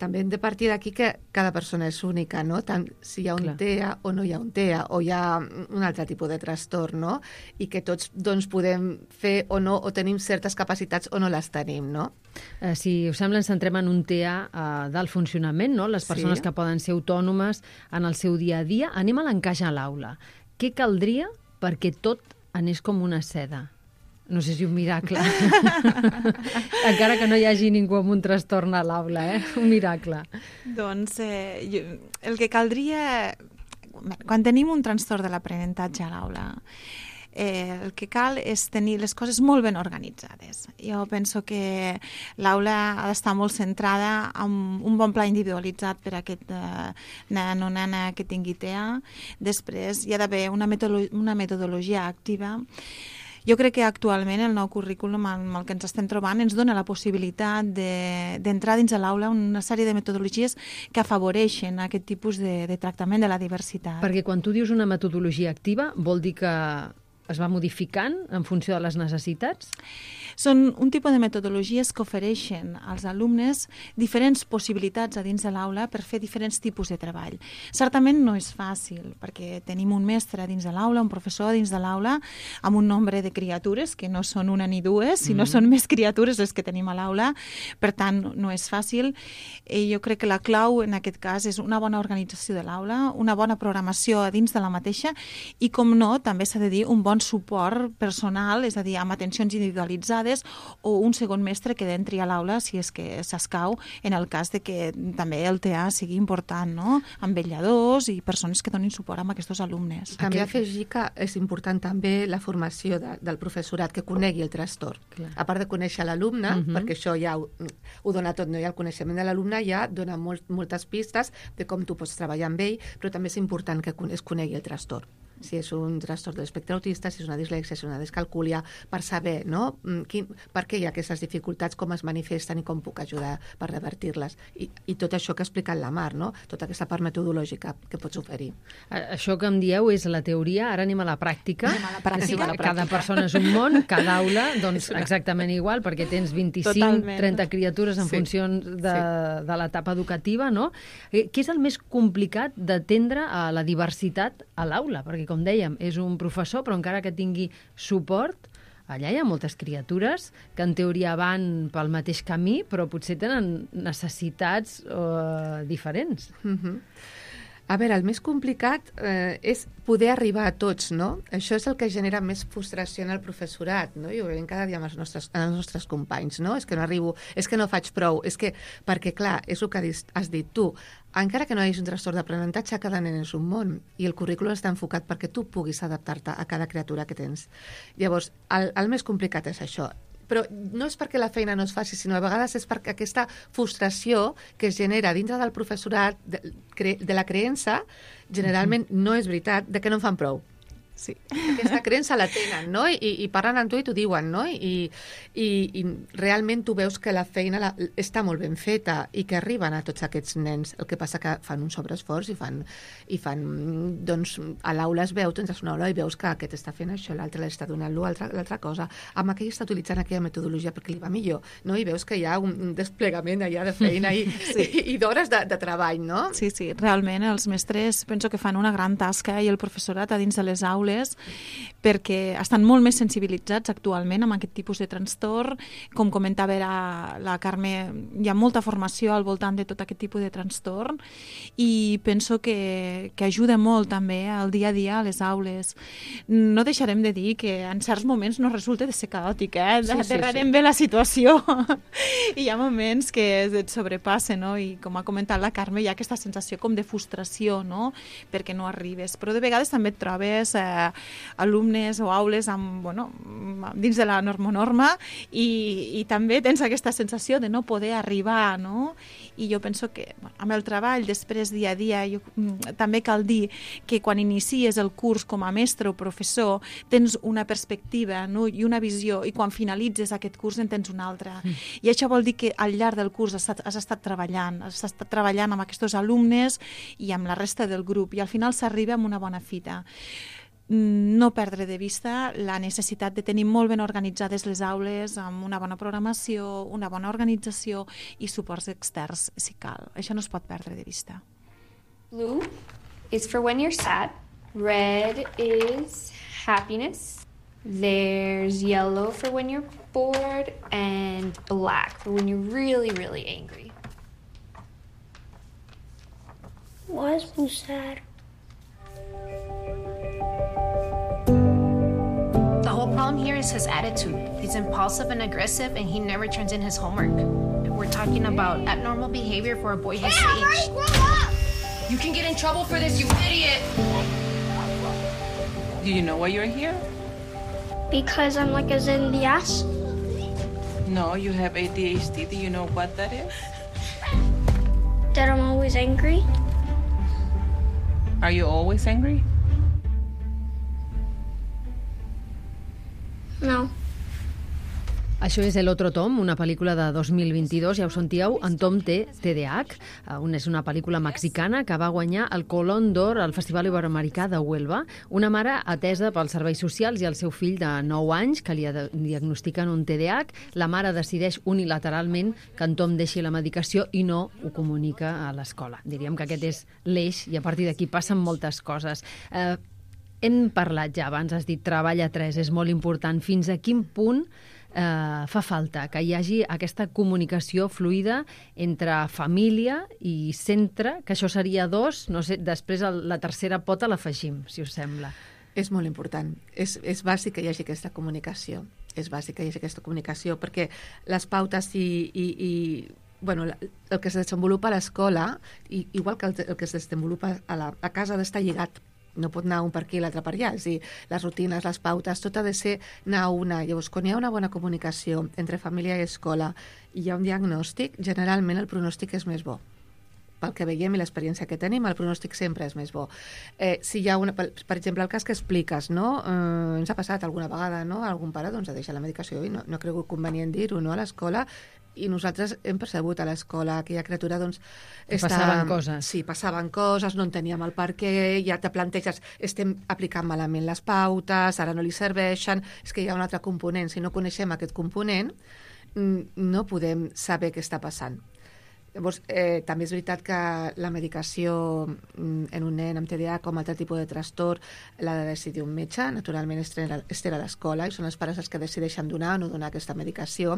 També hem de partir d'aquí que cada persona és única, no? Tant si hi ha un TEA o no hi ha un TEA, o hi ha un altre tipus de trastorn, no? I que tots doncs, podem fer o no, o tenim certes capacitats o no les tenim, no?
Si us sembla, ens centrem en un TEA del funcionament, no? Les persones que poden ser autònomes en el seu dia a dia. Anem a l'encaix a l'aula. Què caldria perquè tot anés com una seda? No sé si un miracle. Encara que no hi hagi ningú amb un trastorn a l'aula, un miracle.
Doncs el que caldria... Quan tenim un trastorn de l'aprenentatge a l'aula, el que cal és tenir les coses molt ben organitzades. Jo penso que l'aula ha d'estar molt centrada en un bon pla individualitzat per a aquest nen o nena que tingui TEA. Després hi ha d'haver una metodologia activa. Jo crec que actualment el nou currículum amb el que ens estem trobant ens dona la possibilitat d'entrar dins de l'aula una sèrie de metodologies que afavoreixen aquest tipus de tractament de la diversitat.
Perquè quan tu dius una metodologia activa, vol dir que es va modificant en funció de les necessitats?
Són un tipus de metodologies que ofereixen als alumnes diferents possibilitats a dins de l'aula per fer diferents tipus de treball. Certament no és fàcil, perquè tenim un mestre dins de l'aula, un professor dins de l'aula, amb un nombre de criatures, que no són una ni dues, sinó són més criatures les que tenim a l'aula, per tant no és fàcil. I jo crec que la clau en aquest cas és una bona organització de l'aula, una bona programació a dins de la mateixa i, com no, també s'ha de dir un bon suport personal, és a dir, amb atencions individualitzades o un segon mestre que entri a l'aula si és que s'escau, en el cas de que també el TEA sigui important, no? Amb vetlladors i persones que donin suport a aquests alumnes.
També afegir que és important també la formació del professorat, que conegui el trastorn. A part de conèixer l'alumne, perquè això ja ho dona tot, no? I el coneixement de l'alumne ja dona moltes pistes de com tu pots treballar amb ell, però també és important que es conegui el trastorn. Si és un trastorn de l'espectre autista, si és una dislèxia, si és una descalcúlia, per saber, no? Per què hi ha aquestes dificultats, com es manifesten i com puc ajudar per revertir-les. I tot això que ha explicat la Mar, no? Tota aquesta part metodològica que pots oferir.
Això que em dieu és la teoria, ara anem a la pràctica. Cada persona és un món, cada aula, doncs exactament igual, perquè tens 25-30 criatures en funció de l'etapa educativa, no? Què és el més complicat d'atendre a la diversitat a l'aula? Perquè, com dèiem, és un professor, però encara que tingui suport, allà hi ha moltes criatures que en teoria van pel mateix camí, però potser tenen necessitats diferents.
A veure, el més complicat és poder arribar a tots, no? Això és el que genera més frustració en el professorat, no? I ho veiem cada dia amb els nostres companys, no? És que no arribo, és que no faig prou, és que... Perquè, clar, és el que has dit tu. Encara que no hi hagi un trastorn d'aprenentatge, cada nen és un món i el currículum està enfocat perquè tu puguis adaptar-te a cada criatura que tens. Llavors, el més complicat és això. Però no és perquè la feina no es faci, sinó a vegades és perquè aquesta frustració que es genera dintre del professorat, de la creença, generalment no és veritat, de que no en fan prou.
Sí.
Aquesta creença la tenen, no? I parlen amb tu i t'ho diuen, no? I realment tu veus que la feina està molt ben feta i que arriben a tots aquests nens. El que passa que fan un sobreesforç i fan doncs, a l'aula es veu, tens una aula i veus que aquest està fent això, l'altre l'està donant l'altra cosa. Amb aquell està utilitzant aquella metodologia perquè li va millor, no? I veus que hi ha un desplegament allà de feina i d'hores de treball, no?
Sí, realment els mestres penso que fan una gran tasca i el professorat a dins de les aules perquè estan molt més sensibilitzats actualment amb aquest tipus de trastorn. Com comentava la Carme, hi ha molta formació al voltant de tot aquest tipus de trastorn i penso que ajuda molt també al dia a dia a les aules. No deixarem de dir que en certs moments no resulta de ser caòtic, aterrarem bé la situació i hi ha moments que et sobrepassen, no? I com ha comentat la Carme, hi ha aquesta sensació com de frustració, no? Perquè no arribes, però de vegades també et trobes alumnes o aules dins de la norma i també tens aquesta sensació de no poder arribar, no? I jo penso que amb el treball després dia a dia també cal dir que quan inicies el curs com a mestre o professor tens una perspectiva, no? I una visió, i quan finalitzes aquest curs en tens una altra. I això vol dir que al llarg del curs has estat treballant amb aquests alumnes i amb la resta del grup i al final s'arriba amb una bona fita. No perdre de vista la necessitat de tenir molt ben organitzades les aules amb una bona programació, una bona organització i suports externs si cal. Això no es pot perdre de vista.
Blue is for when you're sad. Red is happiness. There's yellow for when you're bored and black for when you're really, really angry.
Why is Blue sad?
The whole problem here is his attitude. He's impulsive and aggressive, and he never turns in his homework. We're talking about abnormal behavior for a boy his age.
Grow up!
You can get in trouble for this, you idiot!
Do you know why you're here?
Because I'm like a Zen in the ass.
No, you have ADHD. Do you know what that is?
That I'm always angry.
Are you always angry?
No.
Això és El otro Tom, una pel·lícula de 2022, ja ho sentíeu, en Tom té TDAH, és una pel·lícula mexicana que va guanyar el Colón d'Or al Festival Iberoamericà de Huelva. Una mare atesa pels serveis socials i el seu fill de 9 anys, que li diagnostiquen un TDAH. La mare decideix unilateralment que en Tom deixi la medicació i no ho comunica a l'escola. Diríem que aquest és l'eix i a partir d'aquí passen moltes coses. Hem parlat ja abans, has dit treball a 3, és molt important. Fins a quin punt fa falta que hi hagi aquesta comunicació fluida entre família i centre, que això seria 2, no sé, després la tercera pota l'afegim, si us sembla.
És molt important. És bàsic que hi hagi aquesta comunicació. És bàsic que hi hagi aquesta comunicació, perquè les pautes bueno, el que es desenvolupa a l'escola, igual que el que es desenvolupa a casa, ha d'estar lligat. No pot anar un per aquí i l'altre per allà. És a dir, les rutines, les pautes, tot ha de ser anar a una. Llavors, quan hi ha una bona comunicació entre família i escola i hi ha un diagnòstic, generalment el pronòstic és més bo. Pel que veiem i l'experiència que tenim, el pronòstic sempre és més bo. Si hi ha per exemple, el cas que expliques, no? Ens ha passat alguna vegada, no? Algun pare doncs, ha deixat la medicació i no ha cregut convenient dir-ho, no? A l'escola, i nosaltres hem percebut a l'escola que aquella criatura doncs,
passaven coses.
Sí, passaven coses, no enteníem el per què, ja te planteges, estem aplicant malament les pautes, ara no li serveixen, és que hi ha un altre component. Si no coneixem aquest component, no podem saber què està passant. Llavors, també és veritat que la medicació en un nen amb TDAH com altre tipus de trastorn l'ha de decidir un metge, naturalment estar a l'escola i són els pares els que decideixen donar o no donar aquesta medicació,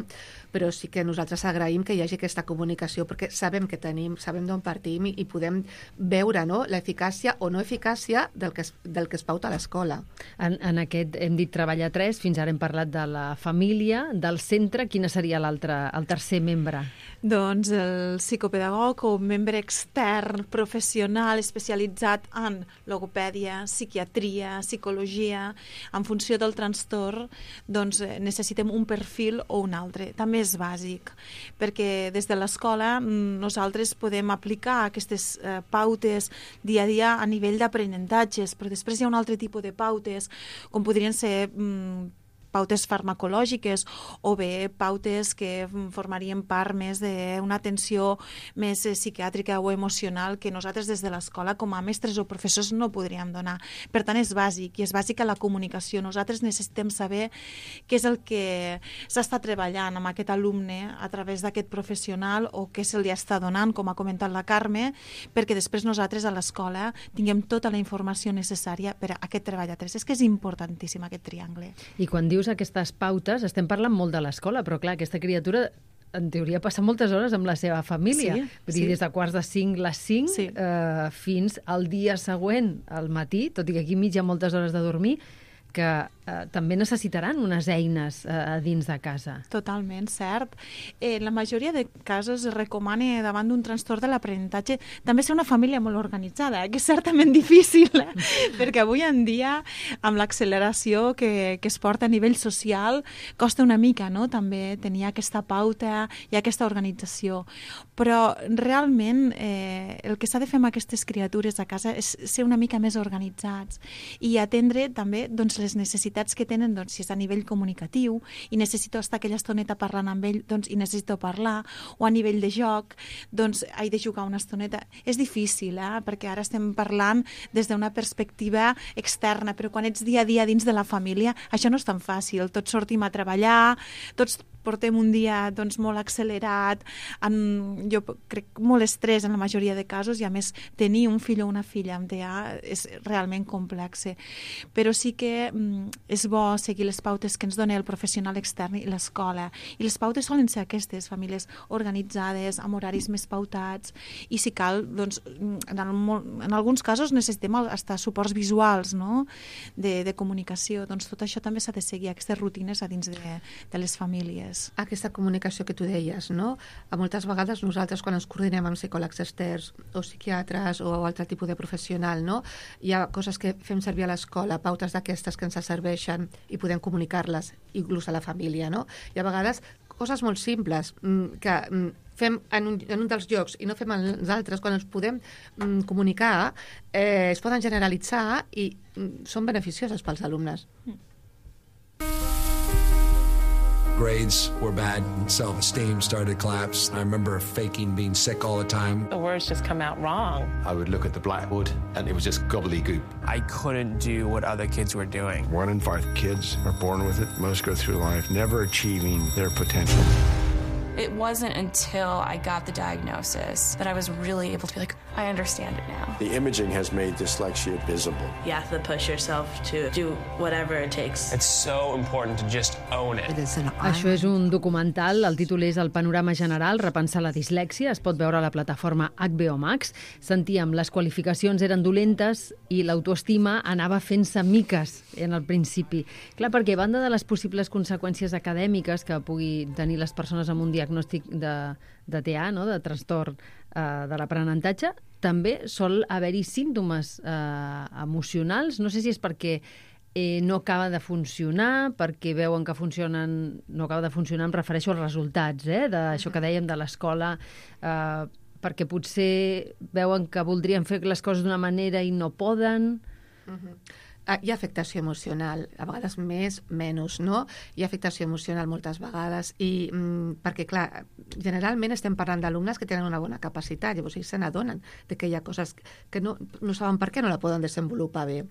però sí que nosaltres agraïm que hi hagi aquesta comunicació perquè sabem què tenim, sabem d'on partim i podem veure, no, l'eficàcia o no eficàcia del que es pauta a l'escola.
En aquest hem dit treball a 3, fins ara hem parlat de la família, del centre. Quina seria el tercer membre?
Doncs el psicopedagog o membre extern, professional, especialitzat en logopèdia, psiquiatria, psicologia, en funció del trastorn, doncs necessitem un perfil o un altre. També és bàsic, perquè des de l'escola nosaltres podem aplicar aquestes pautes dia a dia a nivell d'aprenentatges, però després hi ha un altre tipus de pautes, com podrien ser pautes farmacològiques o bé pautes que formarien part més d'una atenció més psiquiàtrica o emocional que nosaltres des de l'escola com a mestres o professors no podríem donar. Per tant, és bàsic, i és bàsica la comunicació. Nosaltres necessitem saber què és el que s'està treballant amb aquest alumne a través d'aquest professional o què se li està donant, com ha comentat la Carme, perquè després nosaltres a l'escola tinguem tota la informació necessària per a aquest treball a tres. És que és importantíssim aquest triangle.
I quan dius aquestes pautes, estem parlant molt de l'escola, però clar, aquesta criatura en teoria passa moltes hores amb la seva família. Vull dir, des de quarts de 5, les 5, fins al dia següent, al matí, tot i que aquí mig hi ha moltes hores de dormir, que també necessitaran unes eines a dins de casa.
Totalment, cert. En la majoria de casos es recomana davant d'un trastorn de l'aprenentatge també ser una família molt organitzada, que és certament difícil, perquè avui en dia, amb l'acceleració que es porta a nivell social, costa una mica, no?, també tenir aquesta pauta i aquesta organització. Però realment el que s'ha de fer amb aquestes criatures a casa és ser una mica més organitzats i atendre també doncs, les necessitats que tenen, doncs, si és a nivell comunicatiu i necessito estar aquella estoneta parlant amb ell, doncs, i necessito parlar, o a nivell de joc, doncs, he de jugar una estoneta. És difícil, perquè ara estem parlant des d'una perspectiva externa, però quan ets dia a dia dins de la família, això no és tan fàcil. Tots sortim a treballar, tots portem un dia doncs, molt accelerat, jo crec molt estrès en la majoria de casos, i a més tenir un fill o una filla amb TEA és realment complex. Però sí que és bo seguir les pautes que ens dona el professional extern i l'escola. I les pautes solen ser aquestes, famílies organitzades, amb horaris més pautats, i si cal, doncs, en alguns casos necessitem estar suports visuals, no?, de comunicació. Doncs tot això també s'ha de seguir, aquestes rutines a dins de les famílies.
Aquesta comunicació que tu deies, no? A moltes vegades nosaltres quan ens coordinem amb psicòlegs externs o psiquiatres o altre tipus de professional, no? Hi ha coses que fem servir a l'escola, pautes d'aquestes que ens serveixen i podem comunicar-les inclús a la família, no? I a vegades coses molt simples que fem en un dels llocs i no fem en els altres, quan ens podem comunicar, es poden generalitzar i són beneficioses pels alumnes.
Grades were bad, self-esteem started to collapse. I remember faking being sick all the time.
The words just come out wrong.
I would look at the blackboard and it was just gobbledygook.
I couldn't do what other kids were doing.
1 in 5 kids are born with it. Most go through life never achieving their potential.
It wasn't until I got the diagnosis that I was really able to be like, I understand it now.
The imaging has made dyslexia visible.
You have to push yourself to do whatever it takes.
It's so important to just own it.
Això és un documental, el títol és El panorama general, repensar la dislèxia, es pot veure a la plataforma HBO Max. Sentíem, les qualificacions eren dolentes i l'autoestima anava fent-se miques en el principi. Clar, perquè a banda de les possibles conseqüències acadèmiques que pugui tenir les persones amb un diagnòstic de TEA, no?, de trastorn de l'aprenentatge, també sol haver-hi símptomes emocionals. No sé si és perquè no acaba de funcionar, perquè veuen que no acaba de funcionar, em refereixo als resultats, d'això que dèiem de l'escola, perquè potser veuen que voldrien fer les coses d'una manera i no poden.
Hi ha afectació emocional, a vegades més, menys, no? Hi ha afectació emocional moltes vegades i perquè, clar, generalment estem parlant d'alumnes que tenen una bona capacitat, llavors ells se n'adonen de que hi ha coses que no saben per què no la poden desenvolupar bé.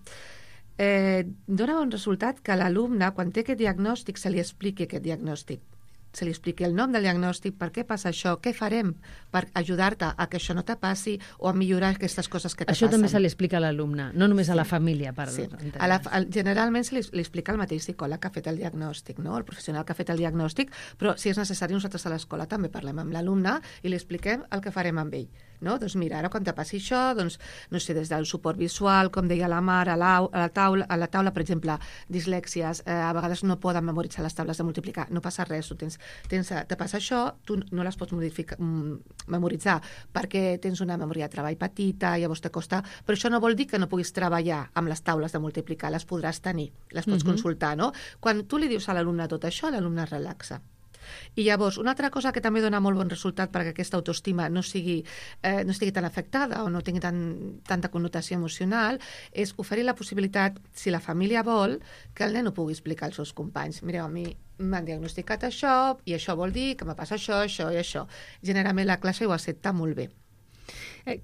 Dóna bon resultat que l'alumne, quan té aquest diagnòstic, se li expliqui aquest diagnòstic. Se li expliqui el nom del diagnòstic, per què passa això, què farem per ajudar-te a que això no te passi o a millorar aquestes coses que te passen.
Això també se li explica a l'alumne, no només a la família.
Generalment se li explica al mateix psicòleg que ha fet el diagnòstic, no? El professional que ha fet el diagnòstic, però si és necessari nosaltres a l'escola també parlem amb l'alumne i li expliquem el que farem amb ell. no? Doncs mira, ara quan te passi això, doncs, no sé, des del suport visual, com deia la Mar, a la taula, per exemple, dislèxies, a vegades no poden memoritzar les taules de multiplicar, no passa res, te passa això, tu no les pots memoritzar perquè tens una memòria de treball petita, llavors te costa, però això no vol dir que no puguis treballar amb les taules de multiplicar, les podràs tenir, les pots consultar, no? Quan tu li dius a l'alumne tot això, l'alumne es relaxa. I llavors, una altra cosa que també dona molt bon resultat perquè aquesta autoestima no estigui tan afectada o no tingui tanta connotació emocional és oferir la possibilitat, si la família vol, que el nen ho pugui explicar als seus companys. Mireu, a mi m'han diagnosticat això i això vol dir que me passa això, això i això. Generalment la classe ho accepta molt bé.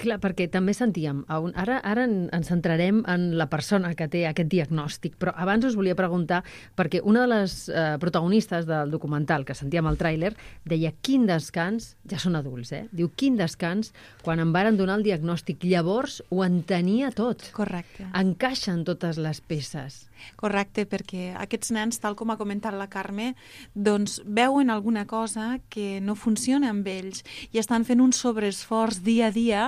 Clar, perquè també sentíem, ara ens centrarem en la persona que té aquest diagnòstic, però abans us volia preguntar, perquè una de les protagonistes del documental que sentíem al tràiler deia quin descans, ja són adults, diu quin descans quan em varen donar el diagnòstic, llavors ho entenia tot.
Correcte.
Encaixen totes les peces.
Correcte, perquè aquests nens, tal com ha comentat la Carme, doncs veuen alguna cosa que no funciona amb ells i estan fent un sobreesforç dia a dia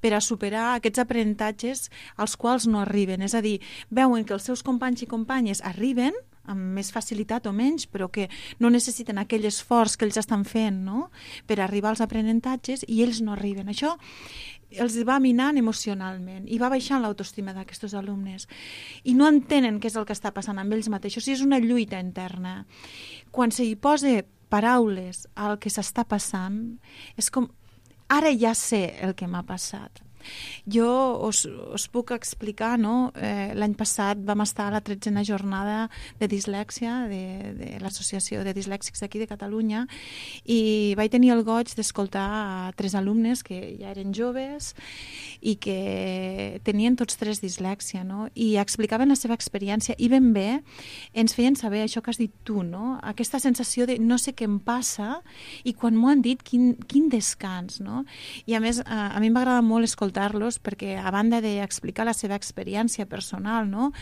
per a superar aquests aprenentatges als quals no arriben. És a dir, veuen que els seus companys i companyes arriben amb més facilitat o menys, però que no necessiten aquell esforç que ells estan fent, no?, per arribar als aprenentatges i ells no arriben. Això els va minant emocionalment i va baixant l'autoestima d'aquests alumnes i no entenen què és el que està passant amb ells mateixos i és una lluita interna. Quan se hi posa paraules al que s'està passant, és com, ara ja sé el que m'ha passat. Jo us puc explicar, no? L'any passat vam estar a la 13a jornada de dislèxia de l'Associació de Dislèxics d'aquí de Catalunya i vaig tenir el goig d'escoltar a 3 alumnes que ja eren joves i que tenien tots 3 dislèxia, no? I explicaven la seva experiència i ben bé ens feien saber això que has dit tu, no? Aquesta sensació de no sé què em passa i quan m'ho han dit, quin descans, no? I a més, a mi m'agrada molt escoltar-los perquè a banda d'explicar la seva experiència personal, no?,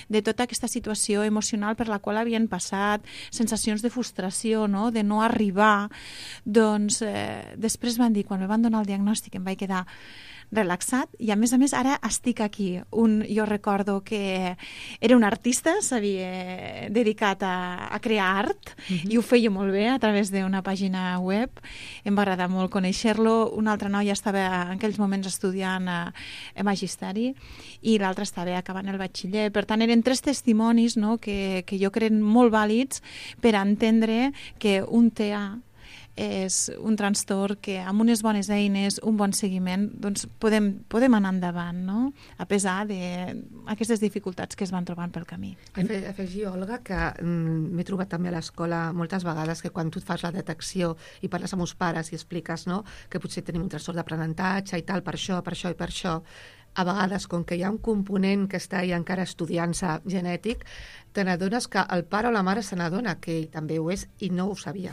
de tota aquesta situació emocional per la qual havien passat, sensacions de frustració, no?, de no arribar, doncs després van dir, quan em van donar el diagnòstic em vaig quedar relaxat i a més ara estic aquí. Jo recordo que era un artista, s'havia dedicat a crear art i ho feia molt bé a través d'una pàgina web. Em va agradar molt conèixer-lo. Una altra noia estava en aquells moments estudiant a magisteri i l'altra estava acabant el batxiller. Per tant, eren 3 testimonis, no?, que jo crec molt vàlids per entendre que un TEA és un trastorn que amb unes bones eines, un bon seguiment, doncs podem anar endavant, no?, a pesar d'aquestes dificultats que es van trobant pel camí.
Afegir, Olga, que m'he trobat també a l'escola moltes vegades que quan tu fas la detecció i parles amb els pares i expliques, no?, que potser tenim un trastorn d'aprenentatge i tal, per això i per això, a vegades, com que hi ha un component que està encara estudiant-se genètic, te n'adones que el pare o la mare se n'adona que ell també ho és i no ho sabia.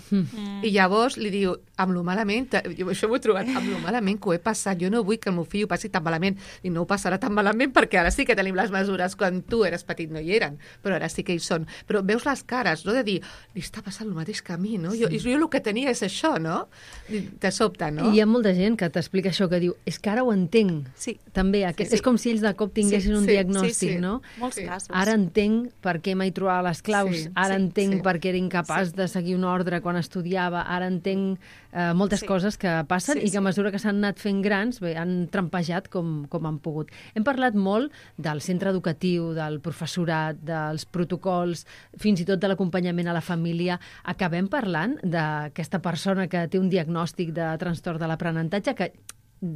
I llavors li diu, amb lo malament, jo això m'ho he trobat, amb lo malament que ho he passat, jo no vull que el meu fill ho passi tan malament, i no ho passarà tan malament perquè ara sí que tenim les mesures, quan tu eres petit no hi eren, però ara sí que hi són. Però veus les cares, no?, de dir, li està passant el mateix que a mi, no? Jo el que tenia és això, no? Te sobta, no?
I hi ha molta gent que t'explica això, que diu, és que ara ho entenc.
Sí.
També, és com si ells de cop tinguessin un diagnòstic, no?
Molts casos.
Ara entenc per què mai trobava les claus, ara entenc per què era incapaç de seguir un ordre quan estudiava, ara entenc moltes coses que passen i que a mesura que s'han anat fent grans han trampejat com han pogut. Hem parlat molt del centre educatiu, del professorat, dels protocols, fins i tot de l'acompanyament a la família. Acabem parlant d'aquesta persona que té un diagnòstic de trastorn de l'aprenentatge que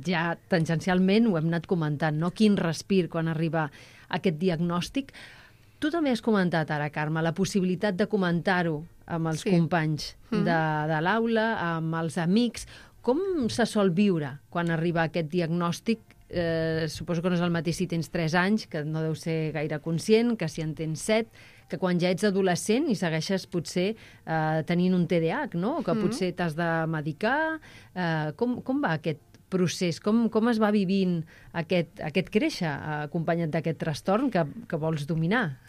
ja tangencialment ho hem anat comentant, no? Quin respir quan arriba aquest diagnòstic. Tu també has comentat ara, Carme, la possibilitat de comentar-ho amb els companys de l'aula, amb els amics. Com se sol viure quan arriba aquest diagnòstic? Suposo que no és el mateix si tens 3 anys, que no deu ser gaire conscient, que si en tens 7, que quan ja ets adolescent i segueixes potser tenint un TDAH, no? Que potser t'has de medicar. Com va aquest procés? Com es va vivint aquest créixer acompanyat d'aquest trastorn que vols dominar?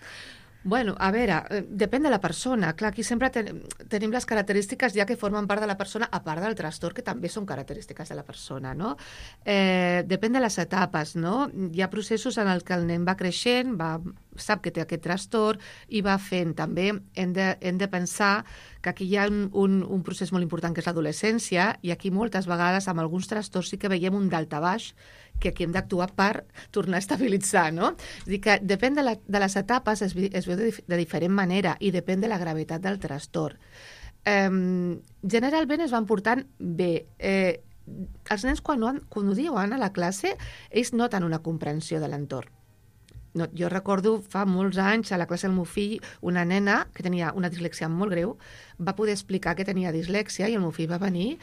Bueno, a veure, depèn de la persona. Clar, aquí sempre tenim les característiques ja que formen part de la persona, a part del trastorn, que també són característiques de la persona, no? Depèn de les etapes, no? Hi ha processos en els que el nen va creixent, sap que té aquest trastorn i va fent. També hem de pensar que aquí hi ha un procés molt important que és l'adolescència, i aquí moltes vegades amb alguns trastorns sí que veiem un daltabaix que aquí hem d'actuar per tornar a estabilitzar, no? És a dir, que depèn de les etapes, es veu de diferent manera i depèn de la gravetat del trastorn. Generalment es van portant bé. Els nens, quan ho diuen a la classe, ells noten una comprensió de l'entorn. Jo recordo fa molts anys a la classe del meu fill una nena que tenia una dislèxia molt greu va poder explicar que tenia dislèxia i el meu fill va venir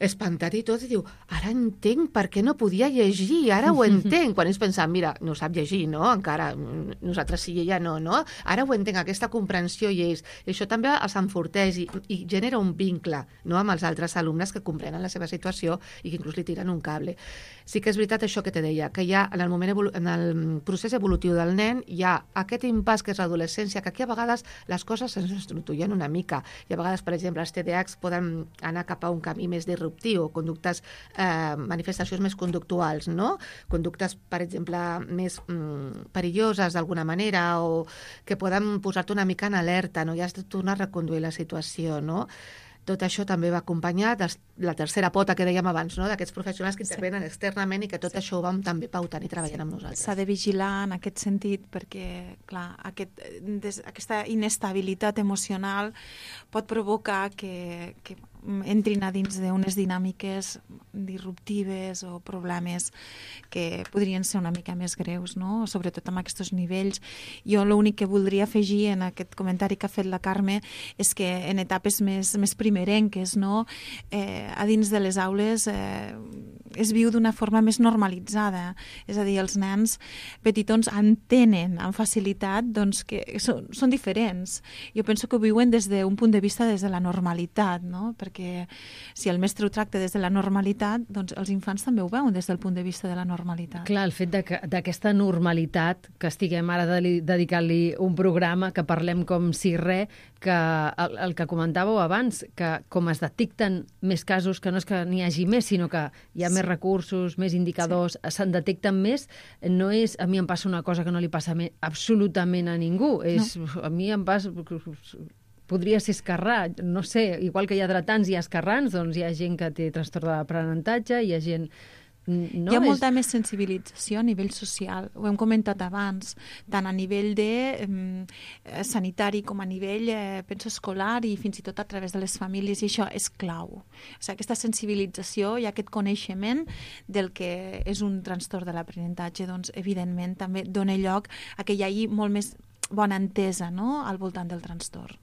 espantat i tot i diu, ara entenc per què no podia llegir, ara ho entenc, quan ells pensaven, mira, no sap llegir, no? Encara, nosaltres sí i ella no? Ara ho entenc, aquesta comprensió i ells. I això també els enforteix i genera un vincle, no?, amb els altres alumnes que comprenen la seva situació i que inclús li tiren un cable. Sí que és veritat això que te deia, que hi ha en el procés evolutiu del nen hi ha aquest impàs que és l'adolescència, que aquí a vegades les coses ens estructuren una mica i a vegades, per exemple, els TDAHs poden anar cap a un camí més disruptiu, conductes, manifestacions més conductuals, no? Conductes, per exemple, més perilloses d'alguna manera o que poden posar-te una mica en alerta, no? I has de tornar a reconduir la situació, no? Tot això també va acompanyar de la tercera pota que dèiem abans, no?, d'aquests professionals que intervenen externament i que tot això ho vam també pautant i treballant amb nosaltres.
S'ha de vigilar en aquest sentit perquè, clar, aquesta inestabilitat emocional pot provocar que entrin a dins d'unes dinàmiques disruptives o problemes que podrien ser una mica més greus, no?, sobretot amb aquests nivells. Jo l'únic que voldria afegir en aquest comentari que ha fet la Carme és que en etapes més primerenques, no?, a dins de les aules es viu d'una forma més normalitzada. És a dir, els nens petitons entenen amb facilitat doncs, que són diferents. Jo penso que ho viuen des d'un punt de vista des de la normalitat, no?, perquè si el mestre ho tracta des de la normalitat, doncs els infants també ho veuen des del punt de vista de la normalitat.
Clar, el fet d'aquesta normalitat, que estiguem ara dedicant-li un programa, que parlem com si res, que el que comentàveu abans, que com es detecten més casos, que no és que n'hi hagi més, sinó que hi ha més recursos, més indicadors, se'n detecten més, no és a mi em passa una cosa que no li passa absolutament a ningú, a mi em passa... Podria ser esquerrà, no sé, igual que hi ha dretans i esquerrans, doncs hi ha gent que té trastorn d'aprenentatge, hi ha gent...
Hi ha molta més sensibilització a nivell social, ho hem comentat abans, tant a nivell sanitari com a nivell, penso, escolar i fins i tot a través de les famílies, i això és clau. O sigui, aquesta sensibilització i aquest coneixement del que és un trastorn de l'aprenentatge, doncs, evidentment, també dona lloc a que hi hagi molt més bona entesa, no?, al voltant del trastorn.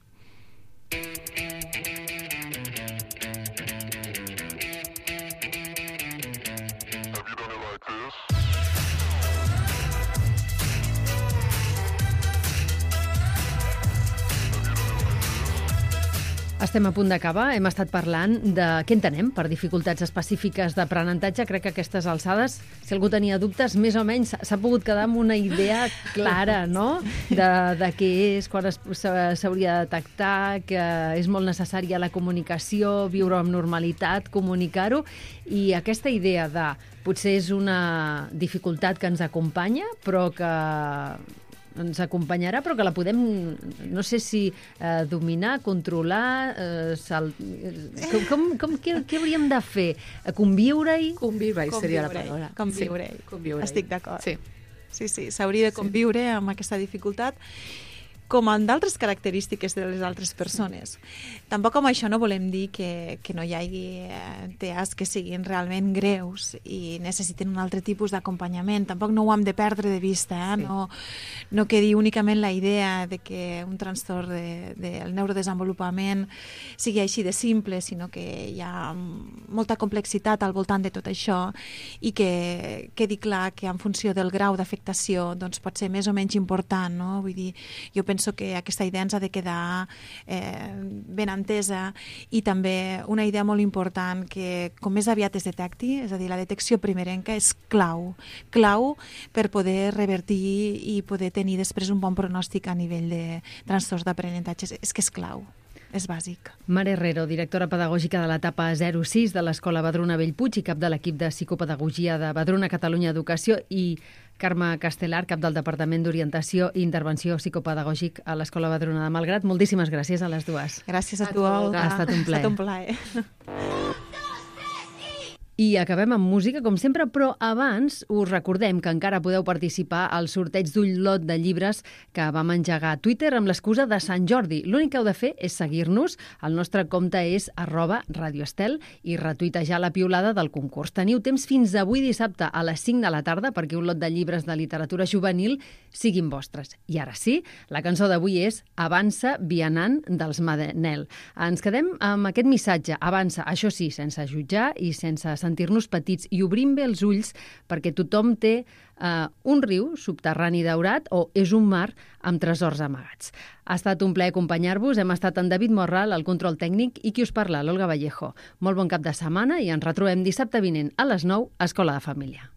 Estem a punt d'acabar. Hem estat parlant de què entenem per dificultats específiques d'aprenentatge. Crec que a aquestes alçades, si algú tenia dubtes, més o menys s'ha pogut quedar amb una idea clara, no?, de què és, quan s'hauria de detectar, que és molt necessària la comunicació, viure amb normalitat, comunicar-ho, i aquesta idea de potser és una dificultat que ens acompanya, però que ens acompanyarà, però que la podem, no sé si dominar, controlar, què hauríem de fer? Conviure-hi?
Conviure-hi seria la paraula.
Conviure-hi.
Conviure-hi.
Estic d'acord.
Sí,
s'hauria de conviure amb aquesta dificultat com en d'altres característiques de les altres persones. Tampoc amb això no volem dir que no hi hagi TEAs que siguin realment greus i necessiten un altre tipus d'acompanyament. Tampoc no ho hem de perdre de vista, no quedi únicament la idea de que un trastorn del neurodesenvolupament sigui així de simple, sinó que hi ha molta complexitat al voltant de tot això i que quedi clar que en funció del grau d'afectació doncs pot ser més o menys important, no? Vull dir, jo penso penso que aquesta idea ens ha de quedar ben entesa, i també una idea molt important que com més aviat es detecti, és a dir, la detecció primerenca és clau per poder revertir i poder tenir després un bon pronòstic a nivell de trastorns d'aprenentatge. És que és clau. És bàsic.
Mar Herrero, directora pedagògica de l'etapa 06 de l'Escola Vedruna Bellpuig i cap de l'equip de psicopedagogia de Vedruna Catalunya Educació, i Carme Castelar, cap del Departament d'Orientació i Intervenció Psicopedagògic a l'Escola Vedruna de Malgrat. Moltíssimes gràcies a les dues.
Gràcies a tu, Olga.
Ha estat un plaer.
Ha estat un plaer.
I acabem amb música, com sempre, però abans us recordem que encara podeu participar al sorteig d'un lot de llibres que vam engegar a Twitter amb l'excusa de Sant Jordi. L'únic que heu de fer és seguir-nos. El nostre compte és @radioestel i retuitejar la piulada del concurs. Teniu temps fins avui dissabte a les 5 de la tarda perquè un lot de llibres de literatura juvenil siguin vostres. I ara sí, la cançó d'avui és Avança, vianant, dels Manel. Ens quedem amb aquest missatge. Avança, això sí, sense jutjar i sense sentir-nos petits, i obrim bé els ulls perquè tothom té un riu subterrani daurat o és un mar amb tresors amagats. Ha estat un plaer acompanyar-vos. Hem estat en David Morral, el control tècnic, i qui us parla, l'Olga Vallejo. Molt bon cap de setmana i ens retrobem dissabte vinent a les 9 a Escola de Família.